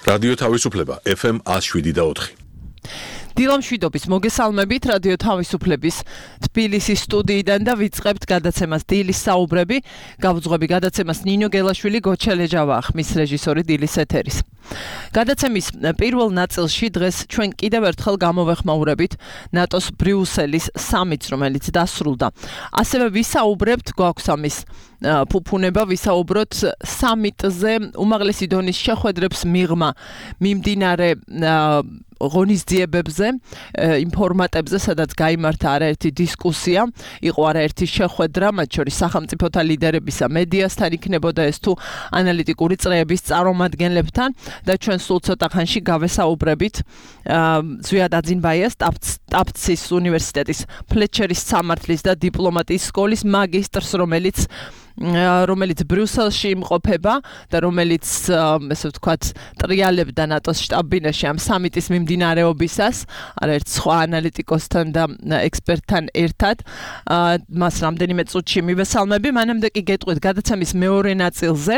რადიო თავისუფლება FM 107.4. დილამშვიდობის მოგესალმებით რადიო თავისუფლების თბილისის სტუდიიდან და ვიწყებთ გადაცემას დილის საუბრები. გავუძღვები გადაცემას ნინო გელაშვილი, გოჩელეჯავა ხმის რეჟისორი დილის ეთერის. გადაცემის პირველ ნაწილში დღეს ჩვენ კიდევ ერთხელ გამოვეხმაურებით ნატოს ბრიუსელის სამიტს, რომელიც დასრულდა. ასევე ვისაუბრებთ, გვაქვს ამის ფუფუნება, ვისაუბროთ სამიტზე უმაღლესი დონის შეხვედრებს მიღმა მიმდინარე ღონისძიებებზე, იმ ფორმატებზე, სადაც გაიმართა არაერთი დისკუსია, იყო არაერთი შეხვედრა, მათ შორის სახელმწიფოთა ლიდერებისა, მედიასთან იქნებოდა ეს თუ ანალიტიკური წრეების წარმომადგენლებთან და ჩვენ სულ ცოტა ხანში გავესაუბრებით ზვიად აძინბაიას ტაფცის უნივერსიტეტის ფლეჩერის სამართლის და დიპლომატიის სკოლის მაგისტრს, რომელიც ბრიუსელში იმყოფება და რომელიც ესე ვთქვათ ტრიალებდა ნატოს შტაბ-ბინაში ამ სამიტის მიმდინარეობისას, არაერთ სხვა ანალიტიკოსთან და ექსპერტთან ერთად. მას რამდენიმე წუთში მივესალმები, მანამდე კი გეტყვით გადაცემის მეორე ნაწილზე,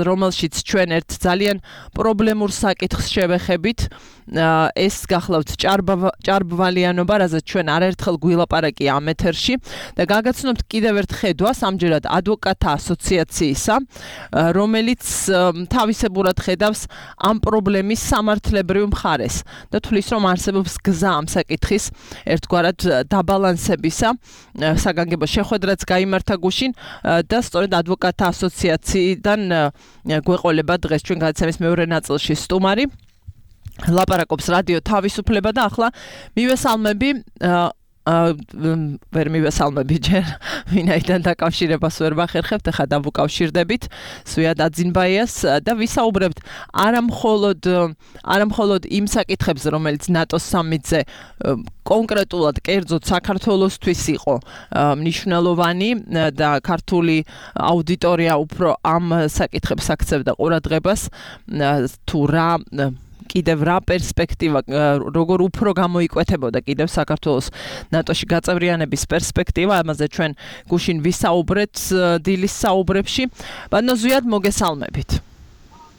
რომელშიც ჩვენ ერთ ძალიან პრობლემურ საკითხს შევეხებით. ეს გახლავთ ჭარბვალიანობა, რაზეც ჩვენ არაერთხელ გვილაპარაკი ამ ეთერში და გაგაცნობთ კიდევ ერთ ხედვას, ამჯერად ადვოკატთა ასოციაციისა, რომელიც თავისებურად ხედავს ამ პრობლემის სამართლებრივ მხარეს და თვლის, რომ არსებობს გზა ამ საკითხის ერთგვარად დაბალანსებისა. საგანგებო შეხვედრაც გაიმართა გუშინ და სწორედ ადვოკატთა ასოციაციიდან გვეყოლება დღეს ჩვენ გადაცემის მეორე ნაწილში სტუმარი. ლაპარაკობს რადიო თავისუფლება და ახლა მივესალმები ვერ მივესალმები ჯერ ვინაიდან დაკავშირებას ვერ ვახერხებთ, ახლა დავუკავშირდებით ზვიად აძინბაიას და ვისაუბრებთ არა მხოლოდ იმ საკითხებზე, რომელიც ნატოს სამიტზე კონკრეტულად კერძოდ საქართველოსთვის იყო მნიშვნელოვანი და ქართული აუდიტორია უფრო ამ საკითხებს აქცევდა ყურადღებას, თუ კიდევ რა პერსპექტივა, როგორ უფრო გამოიკვეთებოდა კიდევ საქართველოს ნატოში გაწევრიანების პერსპექტივა, ამაზე ჩვენ გუშინ ვისაუბრეთ დილის საუბრებში. ბატონო ზვიად, მოგესალმებით.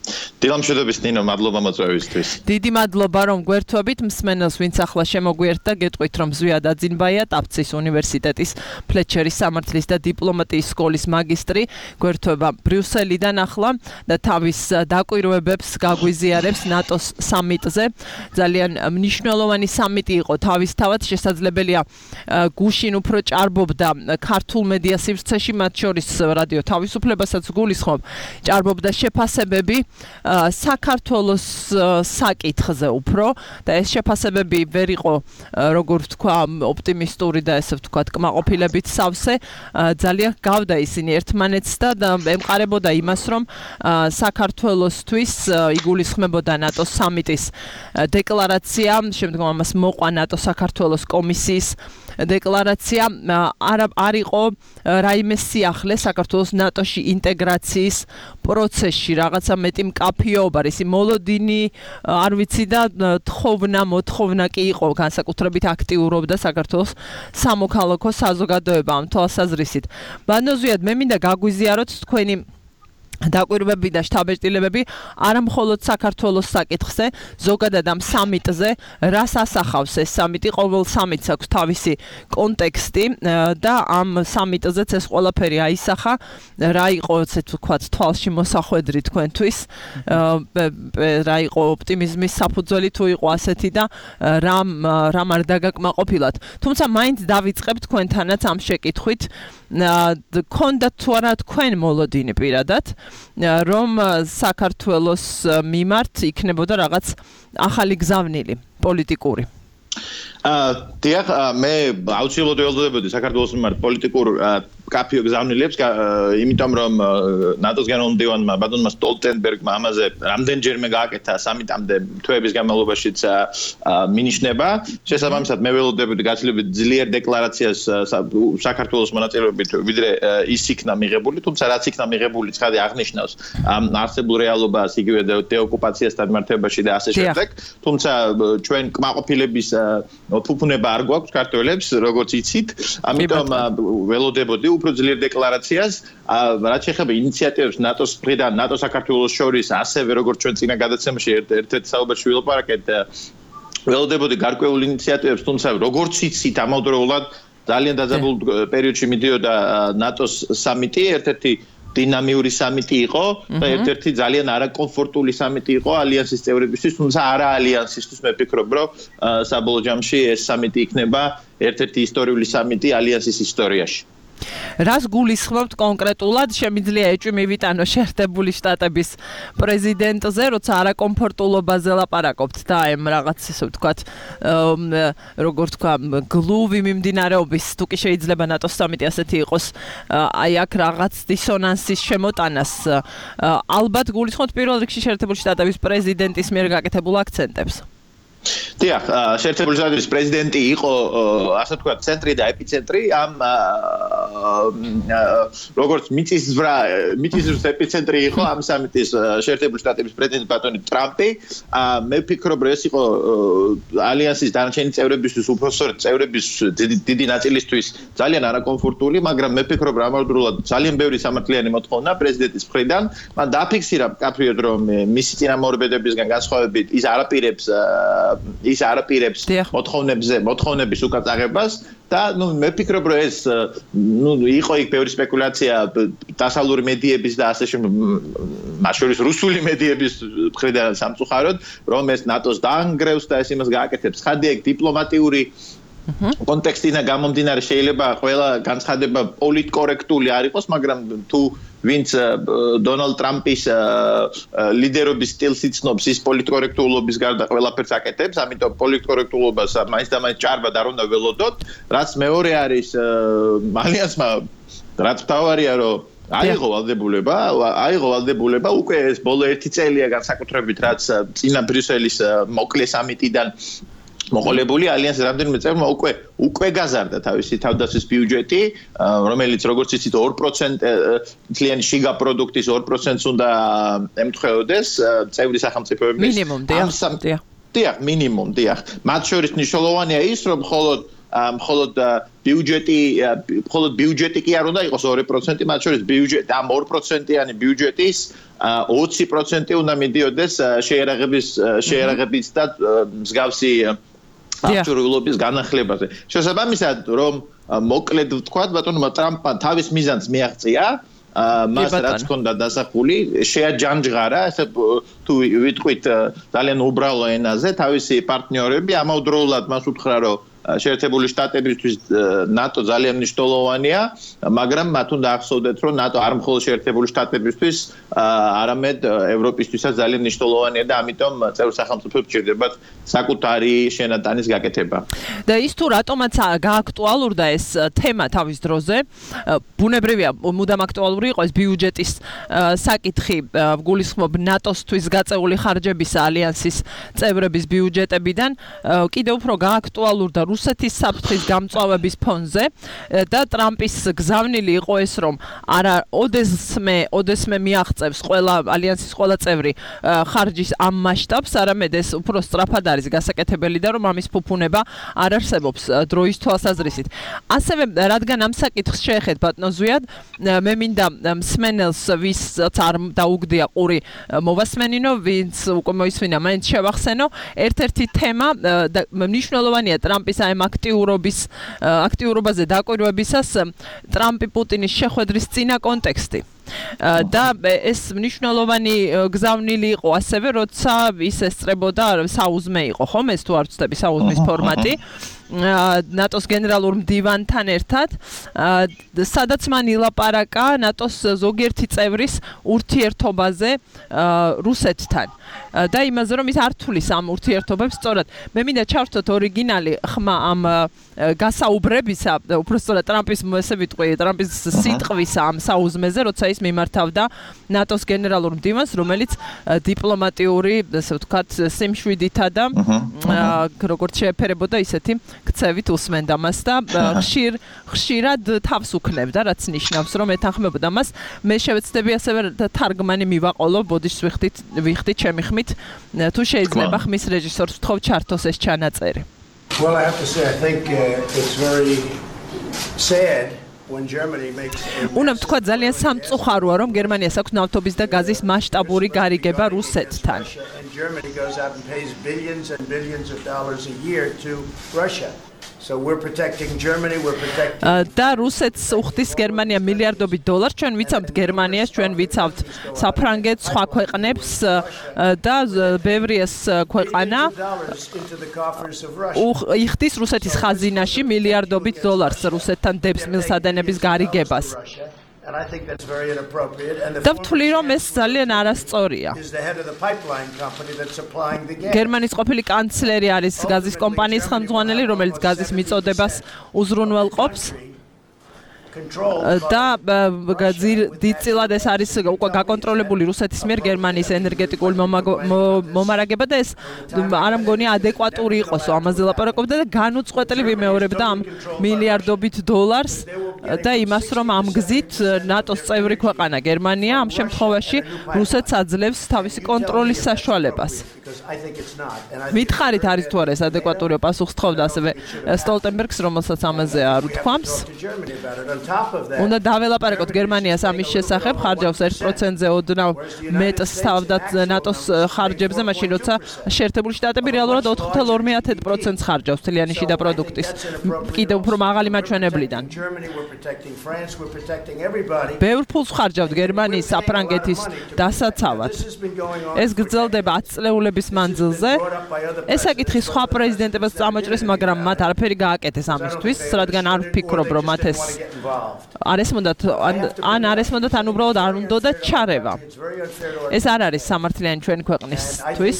დილამშვიდობის ნინო, მადლობა მოწვევისთვის. დიდი მადლობა რომ გვერთვებით, მსმენელს ვინც ახლა შემოგვიერთდა, გეტყვით რომ ზვიად აძინბაია ტაფცის უნივერსიტეტის ფლეჩერის სამართლის და დიპლომატიის სკოლის მაგისტრი, გვერთვება ბრიუსელიდან ახლა და თავის დაკვირვებებს გაგვიზიარებს ნატოს სამიტზე. ძალიან მნიშვნელოვანი სამიტი იყო თავისთავად, შესაძლებელია გუშინ უფრო ჭარბობდა ქართულ მედია სივრცეში, მათ შორის რადიო თავისუფლებასაც გულისხმობ, ჭარბობდა შეფასებები საქართველოს საკითხზე უფრო და ეს შეფასებები ვერ იყო, როგორ ვთქვა, ოპტიმისტური და ესე ვთქვათ, კმაყოფილებით სავსე. ძალიან გავდა ისინი ერთმანეთს და ემყარებოდა იმას, რომ საქართველოსთვის იგულისხმებოდა ნატოს სამიტის დეკლარაცია, შემდგომ ამას მოყვა ნატო-საქართველოს კომისიის დეკლარაცია, არ იყო რაიმე სიახლე საქართველოს ნატოში ინტეგრაციის პროცესში, რაღაცა მეტი მკაფიობა, ისი მოლოდინი არ ვიცი და მოთხოვნა კი იყო, განსაკუთრებით აქტიურობდა საქართველოს სამოქალაქო საზოგადოება ამ თვალსაზრისით. ბატონო ზვიად, მე მინდა გაგვიზიაროთ თქვენი დაკვირვებები და შთაბეჭდილებები არა მხოლოდ საქართველოს საკითხზე, ზოგადად ამ სამიტზე, რას ასახავს ეს სამიტი, ყოველ სამიტს აქვს თავისი კონტექსტი და ამ სამიტზეც ეს ყველაფერი აისახა, რა იყო, ესე ვთქვათ, თვალში მოსახვედრი თქვენთვის, რა იყო ოპტიმიზმის საფუძველი თუ იყო ასეთი და რამ არ დაგაკმაყოფილათ. თუმცა მაინც დავიწყებ თქვენთანაც ამ შეკითხვით, გქონდათ თუ არა თქვენ მოლოდინი პირადად, რომ საქართველოს მიმართ იქნებოდა რაღაც ახალი გზავნილი პოლიტიკური. დიახ, მე აუცილებლად ველოდებოდი საქართველოს მიმართ პოლიტიკურ კაფიო გზავნილებს, იმიტომ რომ ნატოს გენერალ-მდივანმა ბატონმა სტოლტენბერგმა ამაზე რამდენჯერმე გააკეთა სამიტამდე თვეების განმავლობაშიც მინიშნება. შესაბამისად, მე ველოდებოდი გაცილებით ძლიერ დეკლარაციას საქართველოს მონაწილეობით, ვიდრე ის იქნა მიღებული, თუმცა რაც იქნა მიღებული, ცხადი აღნიშნავს არსებულ რეალობას, იგივე დეოკუპაციასთან მიმართებაში და ასე შემდეგ. თუმცა ჩვენ კმაყოფილების ფუფუნება არ გვაქვს ქართველებს, როგორც იცით, ამიტომ ველოდებოდი უფრო ძლიერ დეკლარაციას, რაც შეეხება ინიციატივებს ნატოს მხრიდან, ნატო საქართველოს შორის, ასევე როგორც ჩვენ წინა გადაცემაში ერთ-ერთ საუბარში ვილაპარაკეთ, ველოდებოდი გარკვეულ ინიციატივებს, თუმცა როგორც იცით, ამავდროულად ძალიან დაძაბულ პერიოდში მიდიოდა ნატოს სამიტი, ერთ-ერთი დინამიური სამიტი იყო და ერთ-ერთი ძალიან არაკომფორტული სამიტი იყო ალიანსის წევრებისთვის, თუმცა არა ალიანსისთვის, მე ვფიქრობ, რომ საბოლოო ჯამში ეს სამიტი იქნება ერთ-ერთი ისტორიული სამიტი ალიანსის ისტორიაში. რას გულისხმობთ კონკრეტულად? შემიძლია ეჭვი მივიტანო შეერთებული შტატების პრეზიდენტზე, როცა არაკომფორტულობაზე ლაპარაკობთ და აი რაღაც ისე ვთქვათ, როგორ თქვა, გლუვი მიმდინარეობის, თუ კი შეიძლება ნატოს სამიტი ასეთი იყოს, აი აქ რაღაც დისონანსის შემოტანას ალბათ გულისხმობთ პირველ რიგში შეერთებული შტატების პრეზიდენტის მიერ გაკეთებულ აქცენტებს. დიახ, შეერთებული შტატების პრეზიდენტი იყო, ასე ვთქვათ, ცენტრი და ეპიცენტრი ამ როგორც მიწისძვრა ეპიცენტრი იყო ამ სამიტის შეერთებული შტატების პრეზიდენტი ბატონი ტრამპი. მე ვფიქრობ, რომ ეს იყო ალიანსის დანარჩენი წევრებისთვის, უпроსტოდ წევრების დიდი ნაწილისთვის ძალიან არაკომფორტული, მაგრამ მე ვფიქრობ, რომ ამავდროულად ძალიან ბევრი სამართლიანი მოთხოვნა პრეზიდენტის მხრიდან. მან დააფიქსირა მკაფიოდ, რომ მისი წინამორბედებისგან განსხვავებით ის არაპირებს მოთხოვნების უკაცაღებას და მე ვფიქრობ, რომ ეს იყო იქ ბევრი სპეკულაცია დასავლური მედიების და ასე მათ შორის რუსული მედიების მხრიდან სამწუხაროდ, რომ ეს ნატოს დაანგრევს და ეს იმას გააკეთებს. ხადია იქ დიპლომატიური კონტექსტიდან გამომდინარე შეიძლება ყველა განცხადება პოლიტკორექტული არ იყოს, მაგრამ თუ ვინც დონალდ ტრამპის ლიდერობის სტილს იცნობს, ის პოლიტკორექტულობის გარდა ყველაფერს აკეთებს, ამიტომ პოლიტკორექტულობას მაინც და მაინც ჭარბად არ უნდა ველოდოთ. რაც მეორე არის ალიანსმა, რაც მთავარია, რომ აიღო ვალდებულება, უკვე ეს ბოლო 1 წელია განსაკუთრებით, რაც წინა ბრიუსელის მოკლე სამიტიდან მოყოლებული ალიანსის რამდენიმე წევრმა უკვე გაზარდა თავისი თავდაცვის ბიუჯეტი, რომელიც როგორც იცით 2% თლიანი შიგა პროდუქტის 2%-ს უნდა ემთხვეოდეს წევრი სახელმწიფოების მინიმუმ, დიახ, მინიმუმ, დიახ. მათ შორის მნიშვნელოვანია ის, რომ მხოლოდ ბიუჯეტი კი არ უნდა იყოს 2%, მათ შორის ბიუჯეტი ამ 2%-იანი ბიუჯეტის 20% უნდა მიდიოდეს შეერაღების და მსგავსი აღჭურვილობის განახლებაზე. შესაბამისად, რომ მოკლედ ვთქვათ, ბატონმა ტრამპმა თავის მიზანს მიაღწია, მას რაც ჰქონდა დასახული, შეაჯანჯღარა, ესე თუ ვიტყვით ძალიან უბრალო ენაზე, თავისი პარტნიორები ამავდროულად მას უთხრა, რომ შეერთებული შტატებისთვის ნატო ძალიან მნიშვნელოვანია, მაგრამ მათ უნდა ახსოვდეთ, რომ ნატო არ მხოლოდ შეერთებული შტატებისთვის, არამედ ევროპისთვისაც ძალიან მნიშვნელოვანია და ამიტომ წევრ სახელმწიფოებს სჭირდებათ საკუთარი შენატანის გაკეთება. და ის თუ რატომაც გააქტუალურდა ეს თემა თავის დროზე, ბუნებრივია, მუდამ აქტუალური იყო ეს ბიუჯეტის საკითხი, გულისხმობ ნატოსთვის გაწეული ხარჯების ალიანსის წევრების ბიუჯეტებიდან, კიდევ უფრო გააქტუალურდა რუსეთის საფრთხის გამწვავების ფონზე და ტრამპის გზავნილი იყო ეს, რომ არა ოდესმე მიაღწევს ყველა ალიანსის ყველა წევრი ხარჯის ამ მასშტაბს, არამედ ეს უფრო სწრაფად არის გასაკეთებელი და რომ ამის ფუფუნება არ არსებობს დროის თვალსაზრისით. ასევე რადგან ამ საკითხს შეეხეთ ბატონო ზვიად, მე მინდა მსმენელს ვისაც არ დაუგდია ყური მოვასმენინო, ვინც უკვე მოისმინა, მაინც შევახსენო, ერთ-ერთი თემა და მნიშვნელოვანია ტრამპის ამ აქტიურობაზე დაკვირვებისას ტრამპი პუტინის შეხვედრის წინა კონტექსტი. და ეს მნიშვნელოვანი გზავნილი იყო ასევე, როცა ის ესწრებოდა საუზმე იყო, ხომ ეს თუ არ ვცდები საუზმის ფორმატი ნატოს გენერალურ მდივანთან ერთად, სადაც მან ილაპარაკა ნატოს ზოგიერთი წევრის ურთიერთობაზე რუსეთთან და იმაზე, რომ ის არ თulis ამ ურთიერთობებს, სწორად მე მინდა ჩავთოთ ორიგინალი ხმა ამ გასაუბრებისა, უბრალოდ ტრამპის ესე ვიტყვი, ტრამპის სიტყვისა ამ საუზმეზე, როცა ის მიმართავდა ნატოს გენერალურ მდივანს, რომელიც დიპლომატიური, ასე ვთქვათ, სიმშვიდითა და როგორც შეეფერებოდა ისეთი ქცევით უსმენდა მას და ხშირად თავს უქნებდა, რაც ნიშნავს, რომ ეთანხმებოდა მას. მე შევეცდები ასევე თარგმანი მივაყოლო, ბოდიშს ვიხდით ჩემი ხმით, თუ შეიძლება ხმის რეჟისორს ვთხოვ ჩართოს ეს ჩანაწერი. Well, I have to say, I think it's very sad უნდა თქვა ძალიან სამწუხაროა, რომ გერმანიას აქვს ნავთობის და გაზის მასშტაბური გარიგება რუსეთთან. So we're protecting Germany, we're protecting და რუსეთს უხდის გერმანია მილიარდობით დოლარს, ჩვენ ვიცავთ გერმანიას, ჩვენ ვიცავთ საფრანგეთს, სხვა ქვეყნებს და ბევრიას ქვეყანა იხდის რუსეთის ხაზინაში მილიარდობით დოლარს რუსეთთან დებს მილსადენების გარიგებას. And I think that's very inappropriate. And და ვთვლი რომ ეს ძალიან არასწორია. is the head of the pipeline company that's supplying the gas. გერმანიის ყოფილი კანცლერი არის გაზის კომპანიის ხელმძღვანელი, რომელიც გაზის მიწოდებას უზრუნველყოფს. და დიდწილად ეს არის უკვე გაკონტროლებული რუსეთის მიერ გერმანიის ენერგეტიკული მომარაგება და ეს არ მგონია ადეკვატური იყოს ამაზე ლაპარაკობდა და განუწყვეტლი ვიმეორებდა ამ მილიარდობით დოლარს და იმას რომ ამ გზით ნატოს წევრი ქვეყანა გერმანია ამ შემთხვევაში რუსეთს აძლევს თავისი კონტროლის საშუალებას. მითხარით არის თუ არა ეს ადეკვატური პასუხს თხოვდა ასევე სტოლტენბერგს რომელსაც ამაზე არ უთქვამს. უნდა დაველაპარაკოთ გერმანიას ამის შესახებ, ხარჯავს 1%-ზე ოდნავ მეტს თავდაც ნატოს ხარჯებზე, მაშინ როცა შეერთებული შტატები რეალურად 4.2%-ს ხარჯავს თლიანი შიდა პროდუქტის კიდევ უფრო მაღალი მაჩვენებლიდან. ბევრ ფულს ხარჯავთ გერმანიის საფრანგეთის დასაცავად. ეს გრძელდება 10 წლეულების მანძილზე. ეს საკითხი სხვა პრეზიდენტებს წამოჭრეს, მაგრამ მათ არაფერი გააკეთეს ამისთვის, რადგან არ ვფიქრობ, რომ მათ ეს არ ესმოდათ არ ესმოდათ ან უბრალოდ არ უნდა ჩარევა. ეს არ არის სამართლიანი ჩვენი ქვეყნისთვის,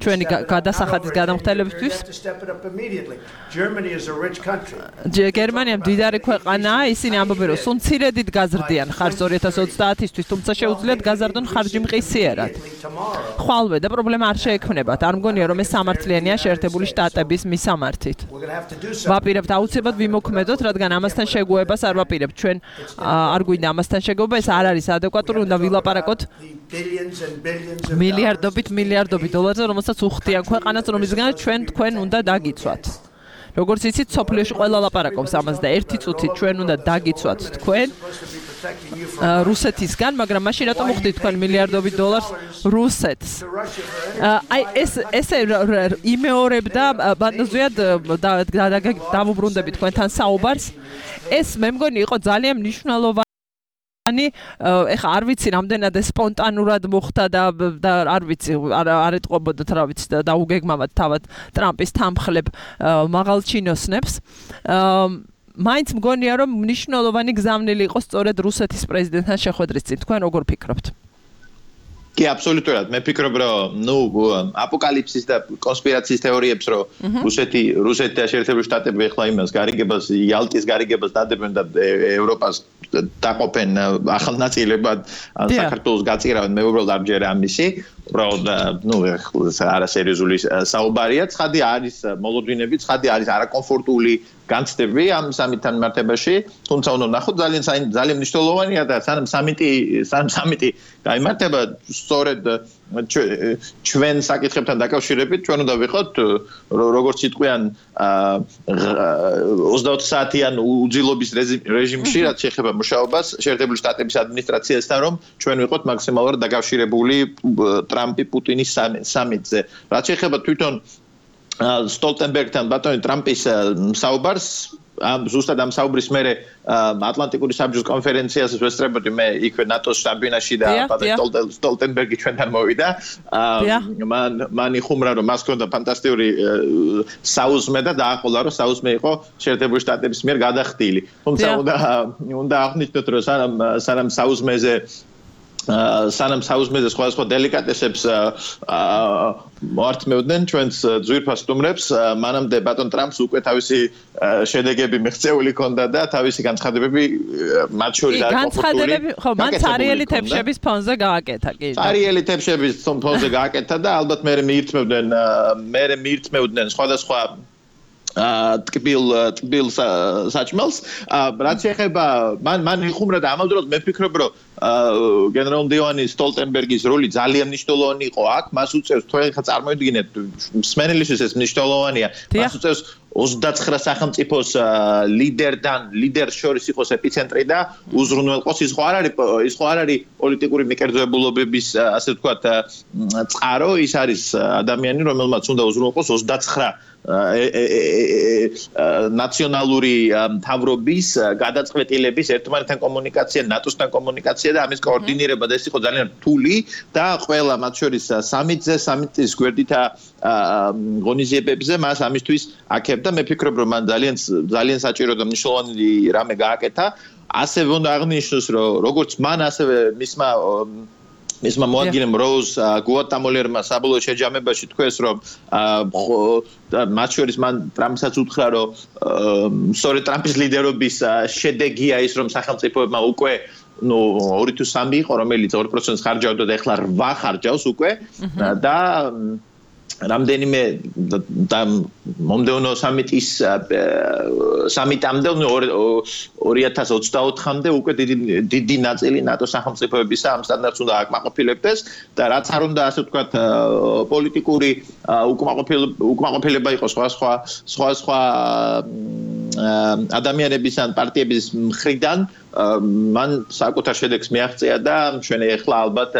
ჩვენი გადასახადის გადამხდელებისთვის. გერმანია მდიდარი ქვეყანაა, ისინი ამბობენ, რომ სულ მცირედით გაზრდიან ხარჯს 2030-ისთვის, თუმცა შეუძლიათ გაზარდონ ხარჯი მყისიერად. ხვალვე და პრობლემა არ შეექმნებათ. არ მგონია, რომ ეს სამართლიანია შეერთებული შტატების მისამართით. ვაპირებთ აუცილებლად ვიმოქმედოთ, რადგან ამასთან შეგუებას არ ვაპირებთ. ჩვენ არ გვინდა ამასთან შეგუება, ეს არ არის ადეკვატური, უნდა ვილაპარაკოთ მილიარდობით დოლარზე, რომელსაც უხდიან ქვეყანას, რომლისგანაც თქვენ უნდა დაგიცვათ. როგორც იცით, სოფლიოში ყველა ლაპარაკობს ამას და ერთი წუთით ჩვენ უნდა დაგიცვათ თქვენ რუსეთისგან, მაგრამ მაშინ რატომ უხდით თქვენ მილიარდობით დოლარს რუსეთს? აი ესე იმეორებდა ბატონზეად დავუბრუნდებით თქვენთან საუბარს. ეს მე მგონი იყო ძალიან მნიშვნელოვანი. ეხა არ ვიცი რამდენად სპონტანურად მოხდა და არ ვიცი არ ეტყობოდათ რა ვიცი და დაუგეგმავად თავად ტრამპის თანმხლებ მაღალჩინოსნებს. მაინც მგონია რომ მნიშვნელოვანი გზავნილი იყო სწორედ რუსეთის პრეზიდენტთან შეხვედრის წინ. თქვენ როგორ ფიქრობთ? კი, აბსოლუტურად. მე ვფიქრობ, რომ აპოკალიფსის და კონსპირაციის თეორიებს, რომ რუსეთი და შეერთებული შტატები ეხლა იმას გარიგებას, იალტის გარიგებას დადებენ და ევროპას დაყოფენ ახალ ნაწილებად, საქართველოს გაწირავენ, მე უბრალოდ არ მჯერა ამისი. უბრალოდ არასერიოზული საუბარია. ცხადი არის მოლოდინები, ცხადი არის არაკომფორტული განცდები ამ სამიტთან მიმართებაში, თუმცა უნდა ნახოთ ძალიან მნიშვნელოვანია და სანამ სამიტი გაიმართება, სწორედ ჩვენ საკითხებთან დაკავშირებით ჩვენ უნდა ვიყოთ როგორც იტყვიან 24 საათიან უძილობის რეჟიმში, რაც შეეხება მუშაობას შეერთებული შტატების ადმინისტრაციასთან, რომ ჩვენ ვიყოთ მაქსიმალურად დაკავშირებული ტრამპი პუტინის სამიტზე. რაც შეეხება თვითონ სტოლტენბერგთან ბატონი ტრამპის საუბარს, ზუსტად ამ საუბრის მერე ატლანტიკური საბჭოს კონფერენციას ვესწრებოდი მე იქვე ნატოს შტაბ-ბინაში და ბატონი სტოლტენბერგი ჩვენთან მოვიდა. მან იხუმრა რომ მას ჰქონდა ფანტასტიკური საუზმე და დააყოლა რომ საუზმე იყო შეერთებული შტატების მიერ გადახდილი. თუმცა უნდა აღნიშნოთ რომ სანამ საუზმეზე სხვადასხვა დელიკატესებს მოართმევდნენ ჩვენს ძვირფას სტუმრებს, მანამდე ბატონ ტრამპს უკვე თავისი შედეგები მიღწეული ჰქონდა და თავისი განცხადებები მათ შორის არ განცხადებები ხო მან цаრიელი თეფშების ფონზე გააკეთა კი цаრიელი თეფშების ფონზე გააკეთა და ალბათ მე მიირთმევდნენ სხვადასხვა ტკბილ საჭმელს რაც ეხება მან იხუმრა და ამავდროულად მე ვფიქრობ რომ გენერალ მდივანი სტოლტენბერგის როლი ძალიან მნიშვნელოვანი იყო აქ მას უწევს თქვენ ხა წარმოიდგინეთ მსმენელისთვის ეს მნიშვნელოვანია მას უწევს 29 სახელმწიფოს ლიდერს შორის იყოს ეპიცენტრი და უზრუნველყოს ის ხო არ არის პოლიტიკური მიკერძებულობების ასე ვთქვათ წყარო ის არის ადამიანი რომელმაც უნდა უზრუნველყოს 29 ნაციონალური მთავრობის გადაწყვეტილების ერთმანეთთან კომუნიკაცია, ნატოსთან კომუნიკაცია და ამის კოორდინირება და ეს იყო ძალიან რთული და ყველა მათ შორის სამიტის გვერდითა ღონისძიებებზე მას ამისთვის აქებდა. მე ვფიქრობ, რომ მან ძალიან საჭირო და მნიშვნელოვანი რამე გააკეთა. ასევე უნდა აღნიშნოს, რომ როგორც მან ასევე მისმა მოადგილემ როუზ გუატამოლერმა საბოლოო შეჯამებაში თქვეს რომ მათ შორის მან ტრამპსაც უთხრა რომ სწორედ ტრამპის ლიდერობის შედეგია ის რომ სახელმწიფოებმა უკვე 2 თუ 3 იყო რომელიც 2%-ს ხარჯავდა და ეხლა 8 ხარჯავს უკვე და რამდენიმე და მომდევნო სამიტამდე 2024-მდე უკვე დიდი ნაწილი ნატო სახელმწიფოებისა ამ სტანდარტს უნდა აკმაყოფილებდეს და რაც არ უნდა ასე ვთქვათ პოლიტიკური უკმაყოფილება იყოს სხვა ადამიანების ან პარტიების მხრიდან მან საკუთარ შედეგს მიაღწია და ჩვენ ეხლა ალბათ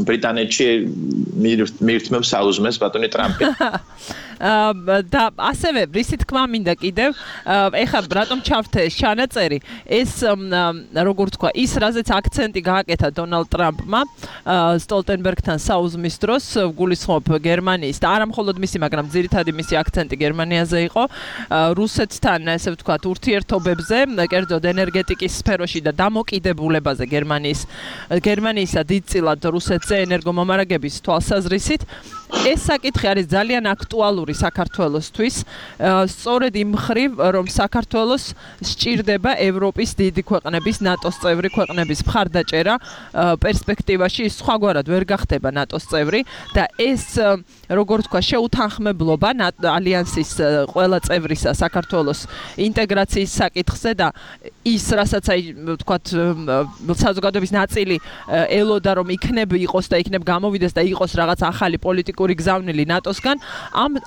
ბრიტანეთში მიირთმევს საუზმეს ბატონი ტრამპი. და ასევე რისი თქმა მინდა კიდევ ეხლა რატომ ჩავთე ჩანაწერი ეს როგორ თქვა ის რაზეც აქცენტი გააკეთა დონალდ ტრამპმა სტოლტენბერგთან საუზმის დროს გულისხმობ გერმანიის და არა მხოლოდ მისი მაგრამ ძირითადი მისი აქცენტი გერმანიაზე იყო რუსეთთან ესე ვთქვათ ურთიერთობებზე კერძოდ ენერგეტიკის სფეროში და დამოკიდებულებაზე გერმანიისა დიდწილად რუსეთზე ენერგომომარაგების თვალსაზრისით ეს საკითხი არის ძალიან აქტუალური საქართველოსთვის სწორედ იმ მხრივ რომ საქართველოს სჭირდება ევროპის დიდი ქვეყნების ნატოს წევრი ქვეყნების მხარდაჭერა პერსპექტივაში სხვაგვარად ვერ გახდება ნატოს წევრი და ეს როგორ თქვა შეუთანხმებლობა ალიანსის ყველა წევრისა საქართველოს ინტეგრაციის საკითხზე და ის რასაც აი ვთქვათ საზოგადოების ნაწილი ელოდა რომ იქნებ გამოვიდეს და იყოს რაღაც ახალი პოლიტიკური გზავნილი ნატოსგან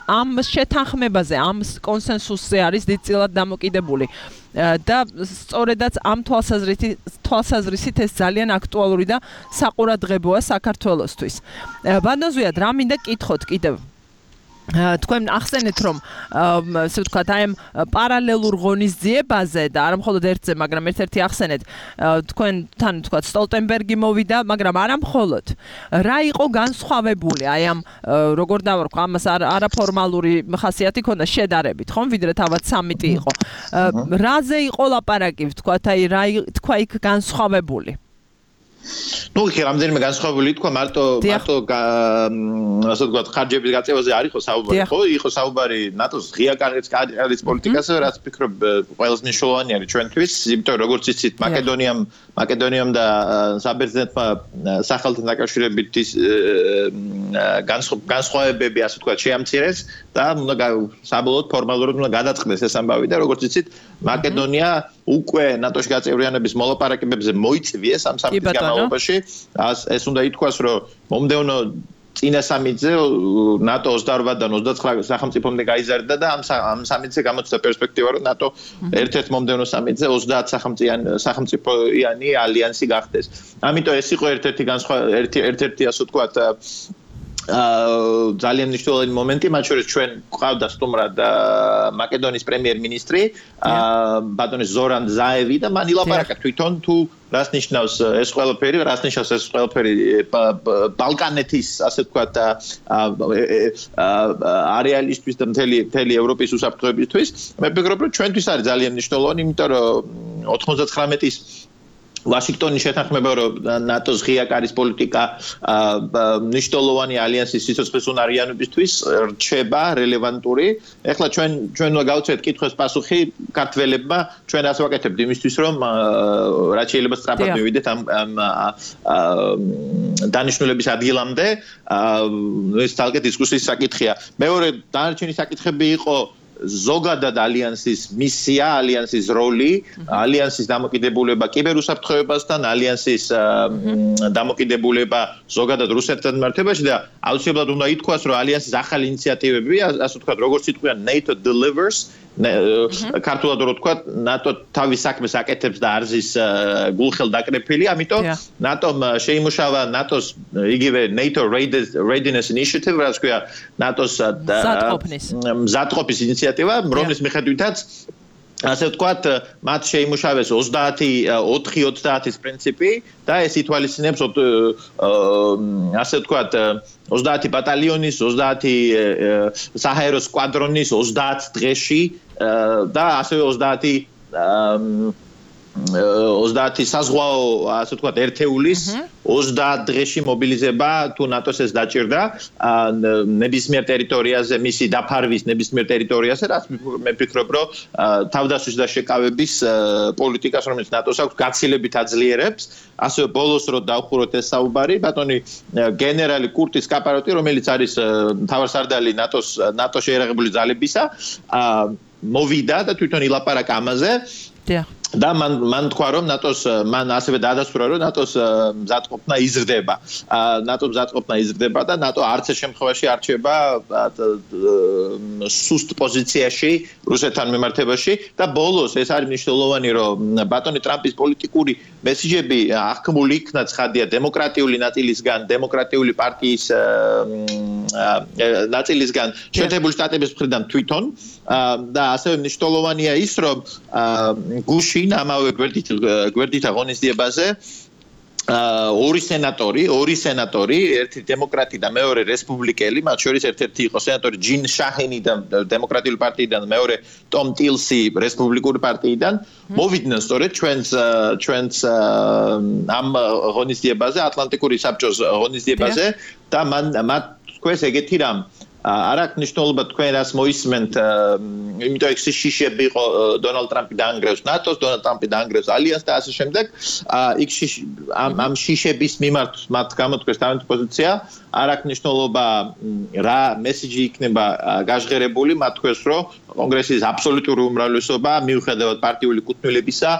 ამ შეთანხმებაზე ამ კონსენსუსზე არის დიდწილად დამოკიდებული და სწორედაც ამ თვალსაზრისით ეს ძალიან აქტუალური და საყურადღებოა საქართველოსთვის. ბანდოზვიად რა მინდა კითხოთ კიდევ თქვენ ახსენეთ რომ ასე ვთქვათ აი ამ პარალელურ ღონისძიებაზე და არა მხოლოდ ერთზე მაგრამ ერთ-ერთი ახსენეთ თქვენთან ვთქვათ სტოლტენბერგი მოვიდა მაგრამ არა მხოლოდ რა იყო განსხვავებული აი ამ როგორ დავარქვა ამას არაფორმალური ხასიათი ქონდა შედარებით ხომ ვიდრე თავად სამიტი იყო რაზე იყო ლაპარაკი ვთქვათ აი რა თქვა იქ განსხვავებული ნუ კი რამდენიმე განსხვავებული თქვა მარტო ასე ვთქვათ ხარჯების გაწევაზე არ იყო საუბარი ხო იყო საუბარი ნატოს ღია კარის პოლიტიკაზე რაც ვფიქრობ ყველაზე მნიშვნელოვანი არის ჩვენთვის იმიტომ როგორც იცით მაკედონიამ და საბერძნეთმა სახელმწიფოთან დაკავშირებით განსხვავებები ასე ვთქვათ შეამცირეს და უნდა საბოლოოდ ფორმალურად უნდა გადაწყდეს ეს ამბავი და როგორც იცით მაკედონია უკვე ნატოში გაწევრიანების მოლაპარაკებებზე მოიწვიეს ამ სამიტის განმავლობაში ეს უნდა ითქვას რომ მომდევნო წინა სამიტზე ნატო 28-დან 29 სახელმწიფომდე გაიზარდა და ამ სამიტზე გამოჩნდა პერსპექტივა რომ ნატო ერთ-ერთ მომდევნო სამიტზე 30 სახელმწიფოიანი ალიანსი გახდეს. ამიტომ ეს იყო ერთ-ერთი ასე ვთქვათ ძალიან მნიშვნელოვანი მომენტი, მათ შორის ჩვენ გვყავდა სტუმრად მაკედონიის პრემიერ-მინისტრი ბატონი ზორან ზაევი და მან ილაპარაკა თვითონ თუ რას ნიშნავს ეს ყველაფერი ბალკანეთის ასე ვთქვათ არეალისთვის და მთელი ევროპის უსაფრთხოებისთვის. მე ვფიქრობ, რომ ჩვენთვის არის ძალიან მნიშვნელოვანი, იმიტომ რომ 99-ის ვაშინგტონის შეთანხმება რომ ნატოს ღია კარის პოლიტიკა მნიშვნელოვანი ალიანსის სიცოცხლის უნარიანობისთვის რჩება რელევანტური. ეხლა ჩვენ უნდა გავუწევთ კითხვის პასუხი ქართველებმა, ჩვენ ასე ვაკეთებთ იმისთვის რომ რაც შეიძლება სწრაფად მივიდეთ ამ დანიშნულების ადგილამდე. ეს თალკე დისკუსიის საკითხია. მეორე დანარჩენი საკითხები იყო ზოგადად ალიანსის მისია, ალიანსის როლი, ალიანსის დამოკიდებულება კიბერუსაფრთხოებასთან, ალიანსის დამოკიდებულება ზოგადად რუსეთთან მიმართებაში და აუცილებლად უნდა ითქვას, რომ ალიანსის ახალი ინიციატივები, ასე ვთქვათ, როგორც იტყვიან NATO delivers, ქართულად რო ვთქვათ, NATO თავის საქმეს აკეთებს და არზის გულხელ დაკრეფილი, ამიტომ NATO-მ შეიმუშავა NATO-ს იგივე NATO Readiness Initiative, რაც ქვია NATO-ს მზადყოფის ინიციატივა, რომლის მიხედვითაც ასე ვთქვათ, მათ შეიმუშავეს 4-30-ის პრინციპი და ეს ითვალისწინებს ასე ვთქვათ 30 ბატალიონის, 30 საჰაერო სკვადრონის 30 დღეში და ასევე 30 საზღვაო, ასე ვთქვათ, ერთეულის 30 დღეში მობილიზება თუ ნატოს ეს დაჭირდა ნებისმიერ ტერიტორიაზე, მისი დაფარვის ნებისმიერ ტერიტორიაზე, რაც მე ვფიქრობ, რომ თავდასხმის და შეკავების პოლიტიკას, რომელიც ნატოს აქვს, გაცილებით აძლიერებს. ასევე ბოლოს რო დავხუროთ ეს საუბარი, ბატონი გენერალი კურტის კაპაროტი, რომელიც არის მთავარსარდალი ნატოს შეერაღებული ძალებისა, მოვიდა და თვითონ ილაპარაკა ამაზე. და მან თქვა რომ ნატოს მან ასევე დაადასტურა რომ ნატოს მზადყოფნა იზრდება. ნატოს მზადყოფნა იზრდება და ნატო არც ეს შემთხვევაში არ რჩება სუსტ პოზიციაში რუსეთთან მიმართებაში და ბოლოს ეს არის მნიშვნელოვანი რომ ბატონი ტრამპის პოლიტიკური მესიჯები აღქმული იქნა ცხადია დემოკრატიული ნაწილისგან, დემოკრატიული პარტიის ნაწილისგან, შეერთებული შტატების მხრიდან თვითონ და ასევე მნიშვნელოვანია ის რომ გუში ამავე გვერდით აღონისდიებაზე ორი სენატორი, ერთი დემოკრატი და მეორე რესპუბლიკელი, მათ შორის ერთ-ერთი იყო სენატორი ჯინ შაჰენი და დემოკრატიული პარტიიდან, მეორე ტომ ტილსი რესპუბლიკური პარტიიდან, მოვიდნენ სწორედ ჩვენს ამ ღონისძიებაზე, ატლანტიკური საბჭოს ღონისძიებაზე და მათ თქვეს ეგეთი რამ არ აქვს მნიშვნელობა თქვენ რას მოისმენთ, იმიტომ ეს შიშები იყო დონალდ ტრამპი დაანგრევს ნატოს, დონალდ ტრამპი დაანგრევს ალიანსს და ასე შემდეგ. იქ ამ შიშების მიმართ მათ გამოთქვეს თავიანთი პოზიცია, არ აქვს მნიშვნელობა რა მესიჯი იქნება გაჟღერებული, მათ თქვეს რომ კონგრესის აბსოლუტური უმრავლესობა მიუხედავად პარტიული კუთვნილებისა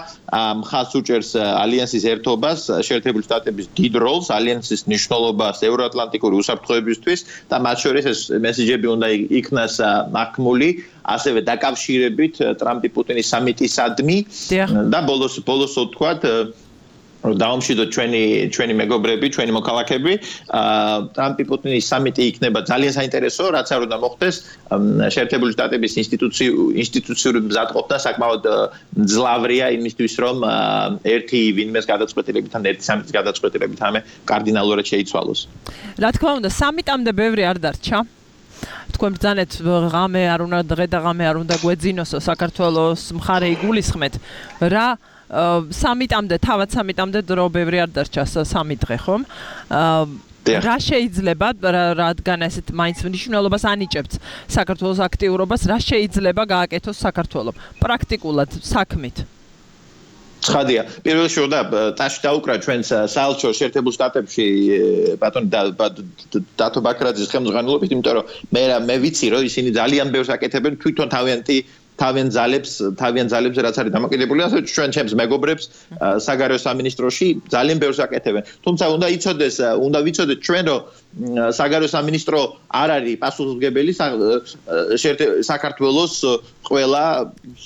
მხარს უჭერს ალიანსის ერთობას, შეერთებული შტატების დიდ როლს, ალიანსის მნიშვნელობას ევროატლანტიკური უსაფრთხოებისთვის და მათ შორის ეს მესიჯები უნდა იქნას აღქმული, ასევე დაკავშირებით ტრამპი-პუტინის სამიტისადმი და ბოლოს ვთქვათ დაუმშვიდოთ ჩვენი მეგობრები, ჩვენი მოქალაქეები, ტრამპი-პუტინის სამიტი იქნება ძალიან საინტერესო, რაც არ უნდა მოხდეს შეერთებული შტატების ინსტიტუციური მზადყოფნა საკმაოდ მძლავრია იმისთვის, რომ ერთი ვინმეს გადაწყვეტილებით ან ერთი სამიტის გადაწყვეტილებით ამე კარდინალურად შეიცვალოს. რა თქმა უნდა, სამიტამდე ბევრი არ დარჩა. თქვენ ბრძანეთ ღამე არ უნდა დღე და ღამე არ უნდა გვეძინოსო საქართველოს მხარე იგულისხმეთ რა თავად სამიტამდე დრო ბევრი არ დარჩა 3 დღე ხომ რა შეიძლება რადგან ესეთ მაინც მნიშვნელობას ანიჭებთ საქართველოს აქტიურობას რა შეიძლება გააკეთოს საქართველოს პრაქტიკულად საქმით ცხადია. პირველ რიგში უნდა ტაში დაუკრა ჩვენს საელჩო შეერთებულ შტატებში ბატონი დათო ბაქრაძის ხელმძღვანელობით, იმიტომ რომ მე ვიცი რომ ისინი ძალიან ბევრს აკეთებენ თვითონ თავიან ძალებს რაც არის დამოკიდებული, ასე ჩვენ ჩემს მეგობრებს საგარეო სამინისტროში ძალიან ბევრს აკეთებენ. თუმცა უნდა ვიცოდეთ ჩვენ რომ საგარეო სამინისტრო არ არის პასუხისმგებელი საქართველოს ყველა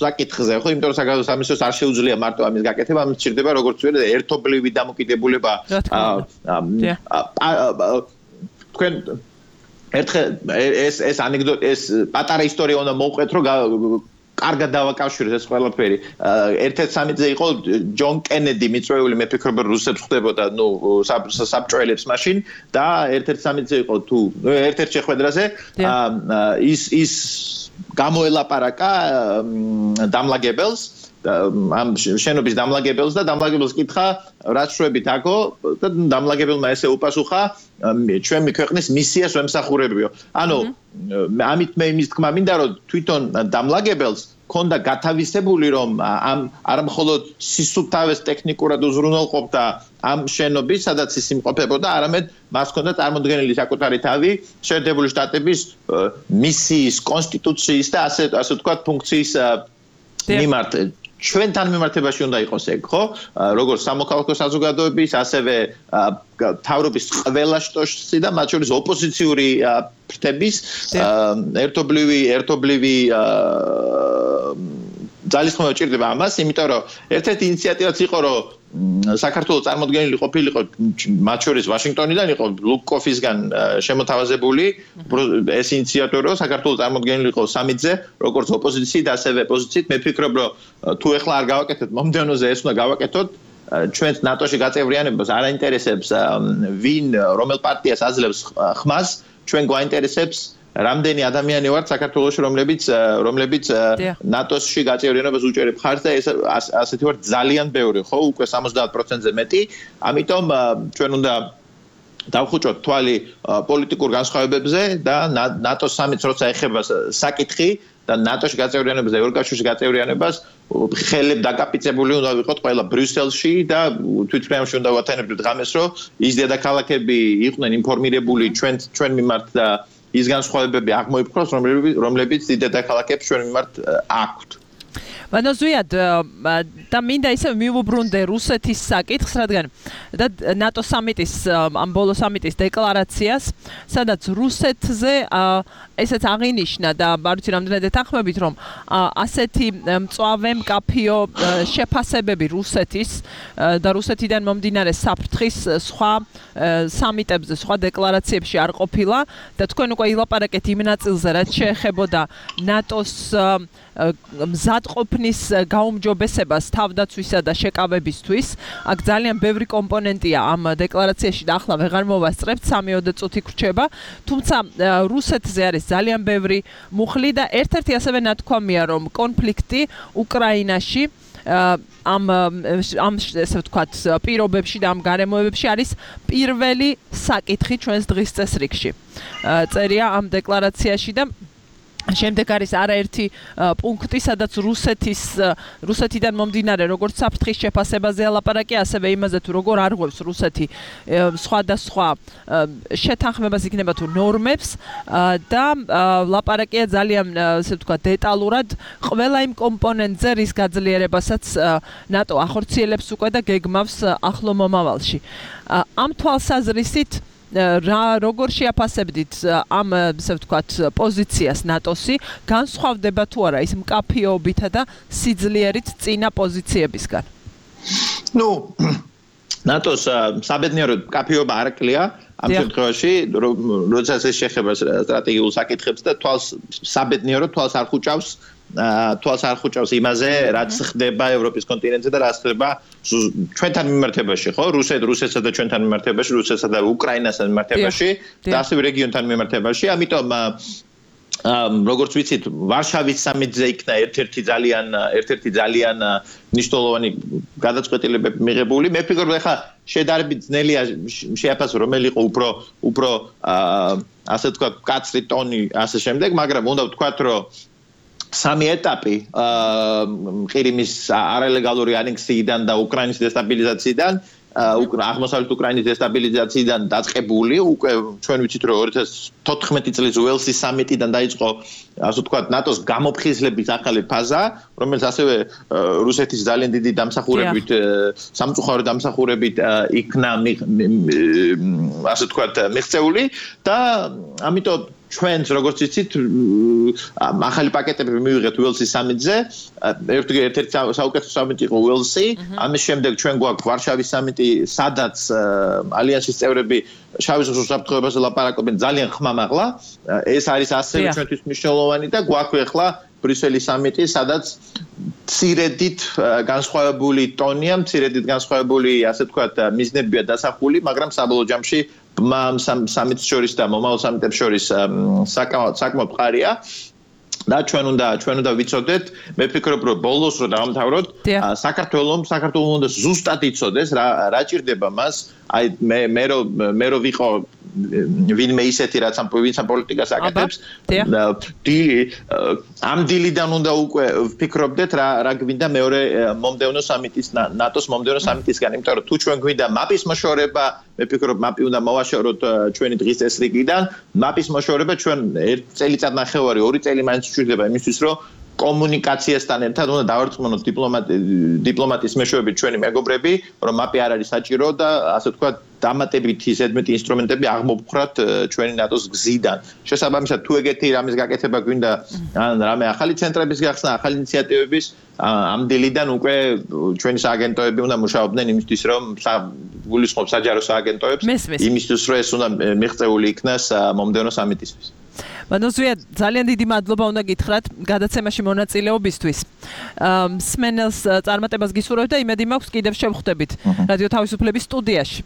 საკითხზე, ხო? იმიტომ რომ საგარეო სამინისტროს არ შეუძლია მარტო ამის გაკეთება, ამის სჭირდება როგორც ვთქვი ერთობლივი დამოკიდებულება. თქვენ ერთხელ ეს ანეკდოტი, ეს პატარა ისტორია უნდა მოვყვეთ, რომ კარგად დავაკავშიროთ ეს ყველაფერი. ერთ-ერთ სამიტზე იყო ჯონ კენედი მიწვეული, მე ვფიქრობ რომ რუსებს ხვდებოდა, საბჭოელებს მაშინ და ერთ-ერთ სამიტზე იყო თუ ერთ-ერთ შეხვედრაზე ის გამოელაპარაკა დამლაგებელს ამ შენობის დამლაგებელს და დამლაგებელს კითხა რაც შვებით აქო და დამლაგებელმა ესე უპასუხა ჩვენ ქვეყნის მისიას ვემსახურებიო. ანუ ამით მე იმის თქმა მინდა რომ თვითონ დამლაგებელს ქონდა გათავისებული რომ არა მხოლოდ სისუფთავეს ტექნიკურად უზრუნველყოფდა ამ შენობის სადაც ის იმყოფებოდა არამედ მას ჰქონდა წარმოდგენილი საკუთარი თავი შეერთებული შტატების მისიის კონსტიტუციის და ასე ვთქვათ ფუნქციის მიმართ ჩვენთან მიმართებაში უნდა იყოს ეგ, ხო? როგორც სამოქალაქო საზოგადოების, ასევე თავრობის ყველა შტოში და მათ შორის ოპოზიციური ფრთების ერთობლივი ძალისხმევა ჭირდება ამას, იმიტომ რომ ერთ-ერთი ინიციატივაც იყო, რომ საქართველოს წარმოდგენილი ყოფილიყო მათ შორის ვაშინგტონიდან იყო ლუკკოფისგან შემოთავაზებული ეს ინიციატორი რომ საქართველოს წარმოდგენილი იყო სამიტზე როგორც ოპოზიციით ასევე პოზიციით მე ვფიქრობ რომ თუ ეხლა არ გავაკეთეთ მომდევნოზე ეს უნდა გავაკეთოთ ჩვენს ნატოში გაწევრიანებას არ აინტერესებს ვინ რომელ პარტიას აძლევს ხმას ჩვენ გვაინტერესებს რამდენი ადამიანი ვართ საქართველოში რომლებიც ნატოში გაწევრიანებას უჭერებ ხარს და ეს ასეთი ვართ ძალიან ბევრი ხო უკვე 70%-ზე მეტი ამიტომ ჩვენ უნდა დავხუჭოთ თვალი პოლიტიკურ განსხვავებებზე და ნატოს სამიტს როცა ეხება საკითხი და ნატოში გაწევრიანებას და ევროკავშირში გაწევრიანებას ხელებ დაკაპიცებული უნდა ვიყოთ ყველა ბრიუსელში და თვითმფრინავში უნდა ვათანებდეთ ღამეს რომ ის დედაქალაქები იყვნენ ინფორმირებული ჩვენ მიმართ და ის განსხვავებები აღმოიფრქვას რომლებიც დედაქალაქებს ჩვენ მიმართ აქვთ მანოზვიად და მინდა ისე მივუბრუნდე რუსეთის საკითხს, რადგან და ნატო სამიტის ამ ბოლო სამიტის დეკლარაციას, სადაც რუსეთზე ესეც აღინიშნა და არ ვიცი რამდენად ეთანხმებით, რომ ასეთი მწვავე მკაფიო შეფასებები რუსეთის და რუსეთიდან მომდინარე საფრთხის სხვა სამიტებზე, სხვა დეკლარაციებში არ ყოფილა და თქვენ უკვე ილაპარაკეთ იმ ნაწილზე, რაც შეეხებოდა ნატოს მზადყოფნის გაუმჯობესებას თავდაცვისა და შეკავებისთვის. აქ ძალიან ბევრი კომპონენტია ამ დეკლარაციაში და ახლა ვეღარ მოვასწრებთ 3-4 წუთი გრჩება. თუმცა რუსეთზე არის ძალიან ბევრი მუხლი და ერთ-ერთი ასევე ნათქვამია, რომ კონფლიქტი უკრაინაში ამ ესე ვთქვათ პირობებში და ამ გარემოებებში არის პირველი საკითხი ჩვენს დღის წესრიგში. წერია ამ დეკლარაციაში და შემდეგ არის არაერთი პუნქტი, სადაც რუსეთიდან მომდინარე როგორც საფრთხის შეფასებაზე ალაპარაკი, ასევე იმაზე თუ როგორ არღვევს რუსეთი სხვადასხვა შეთანხმებას იქნება თუ ნორმებს და ლაპარაკია ძალიან ესე ვთქვათ დეტალურად ყველა იმ კომპონენტზე, რის გაძლიერებასაც ნატო ახორციელებს უკვე და გეგმავს ახლო მომავალში. ამ თვალსაზრისით როგორ შეაფასებდით ამ ესე ვთქვათ პოზიციას ნატოსი განსხვავდება თუ არა ის მკაფიობითა და სიძლიერით წინა პოზიციებისგან? ნუ ნატოს საბედნიეროდ მკაფიობა არ აკლია ამ შემთხვევაში როდესაც ეს შეეხება სტრატეგიულ საკითხებს და საბედნიეროდ თვალს არ ხუჭავს იმაზე, რაც ხდება ევროპის კონტინენტზე და რაც ხდება ჩვენთან მიმართებაში, ხო? რუსეთსა და ჩვენთან მიმართებაში, რუსეთსა და უკრაინასთან მიმართებაში და ასევე რეგიონთან მიმართებაში. ამიტომ როგორც ვიცით, ვარშავის სამიტზე იქნა ერთ-ერთი ძალიან მნიშვნელოვანი გადაწყვეტილებები მიღებული. მე ვფიქრობ, ეხლა შედარებით ძნელია შეაფასო, რომელი იყო უფრო ასე ვთქვათ, კაცრი ტონი ასე შემდეგ, მაგრამ უნდა ვთქვათ, რომ სამი ეტაპი ყირიმის არალეგალური ანექსიიდან და უკრაინის დესტაბილიზაციიდან აღმოსავლეთ უკრაინის დესტაბილიზაციიდან დაწყებული უკვე ჩვენ ვიცით რომ 2014 წლის უელსის სამიტიდან დაიწყო ასე ვთქვათ ნატოს გამოფხიზლების ახალი ფაზა რომელიც ასევე რუსეთის ძალიან დიდი დამსახურებით სამწუხარო დამსახურებით იქნა ასე ვთქვათ მიღწეული და ამიტომ ჩვენს როგორც იცით ახალი პაკეტები მივიღეთ უელსის სამიტზე ერთ-ერთი საუკეთესო სამიტი იყო უელსი ამის შემდეგ ჩვენ გვაქვს ვარშავის სამიტი სადაც ალიანსის წევრები შავი ზღვის უსაფრთხოებაზე ლაპარაკობენ ძალიან ხმამაღლა ეს არის ასევე ჩვენთვის მნიშვნელოვანი და გვაქვს ახლა ბრიუსელის სამიტი სადაც მცირედით განსხვავებული ტონია მცირედით განსხვავებული ასე ვთქვათ მიზნებია დასახული მაგრამ საბოლოო ჯამში სამიტს შორის და მომავალ სამიტებს შორის საკმაოდ მყარია და ჩვენ უნდა ვიცოდეთ მე ვფიქრობ რომ ბოლოს რო დავამთავროთ საქართველოს უნდა ზუსტად იცოდეს რა ჭირდება მას აი მე რო ვიყო ვინმე ისეთი რაც ამ პოლიტიკას აკეთებს ამ დილიდან უნდა უკვე ვფიქრობდეთ რა გვინდა მეორე მომდევნო სამიტის ნატოს მომდევნო სამიტისგან, იმიტომ რომ თუ ჩვენ გვინდა მაპის მოშორება, მე ვფიქრობ მაპი უნდა მოვაშოროთ ჩვენი დღის წესრიგიდან, მაპის მოშორება ჩვენ 1 წელიწად ნახევარი 2 წელი მაინც გვჭირდება იმისთვის რომ კომუნიკაციასთან ერთად უნდა დავარწმუნოთ დიპლომატის მეშვეობით ჩვენი მეგობრები, რომ მაპი არ არის საჭირო და ასე ვთქვათ დამატებითი ზედმეტი ინსტრუმენტები აღმოფხრათ ჩვენი ნატოს გზიდან. შესაბამისად, თუ ეგეთი რამის გაკეთება გვინდა ან რამე ახალი ცენტრების გახსნა, ახალი ინიციატივების, ამ დილიდან უკვე ჩვენი სააგენტოები უნდა მუშაობდნენ იმისთვის, რომ გულისხმობ საჯარო სააგენტოებს, იმისთვის, რომ ეს უნდა მიღწეული იქნას მომდევნო სამიტისთვის. მანოზვია, ძალიან დიდი მადლობა უნდა გითხრათ გადაცემაში მონაწილეობისთვის. მსმენელს წარმატებას გისურვებთ და იმედი მაქვს კიდევ შევხვდებით რადიო თავისუფლების სტუდიაში.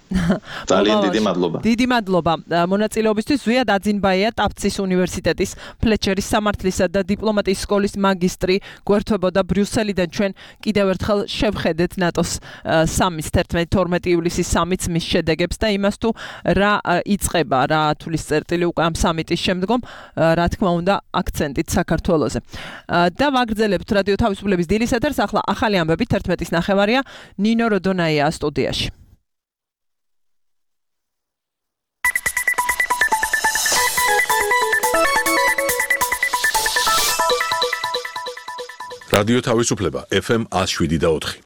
ძალიან დიდი მადლობა. დიდი მადლობა მონაწილეობისთვის. ზვია დაძინბაია, ტაფცის უნივერსიტეტის ფლეჩერის სამართლისა და დიპლომატიის სკოლის მაგისტრი, გვერდთვებოდა ბრიუსელიდან. ჩვენ კიდევ ერთხელ შევხედეთ ნატოს სამის 11-12 ივლისის სამის მის შედეგებს და იმას თუ რა იწყება, რა თulis წერტილი უკვე ამ სამიტის შემდგომ, რა თქმა უნდა, აქცენტით საქართველოზე. და ვაგრძელებთ რადიო თავისუფლების დილის ეთერს. ახლა ახალი ამბები 11:30-ია. ნინო როდონაია სტუდიაში. რადიო თავისუფლება FM 107.4.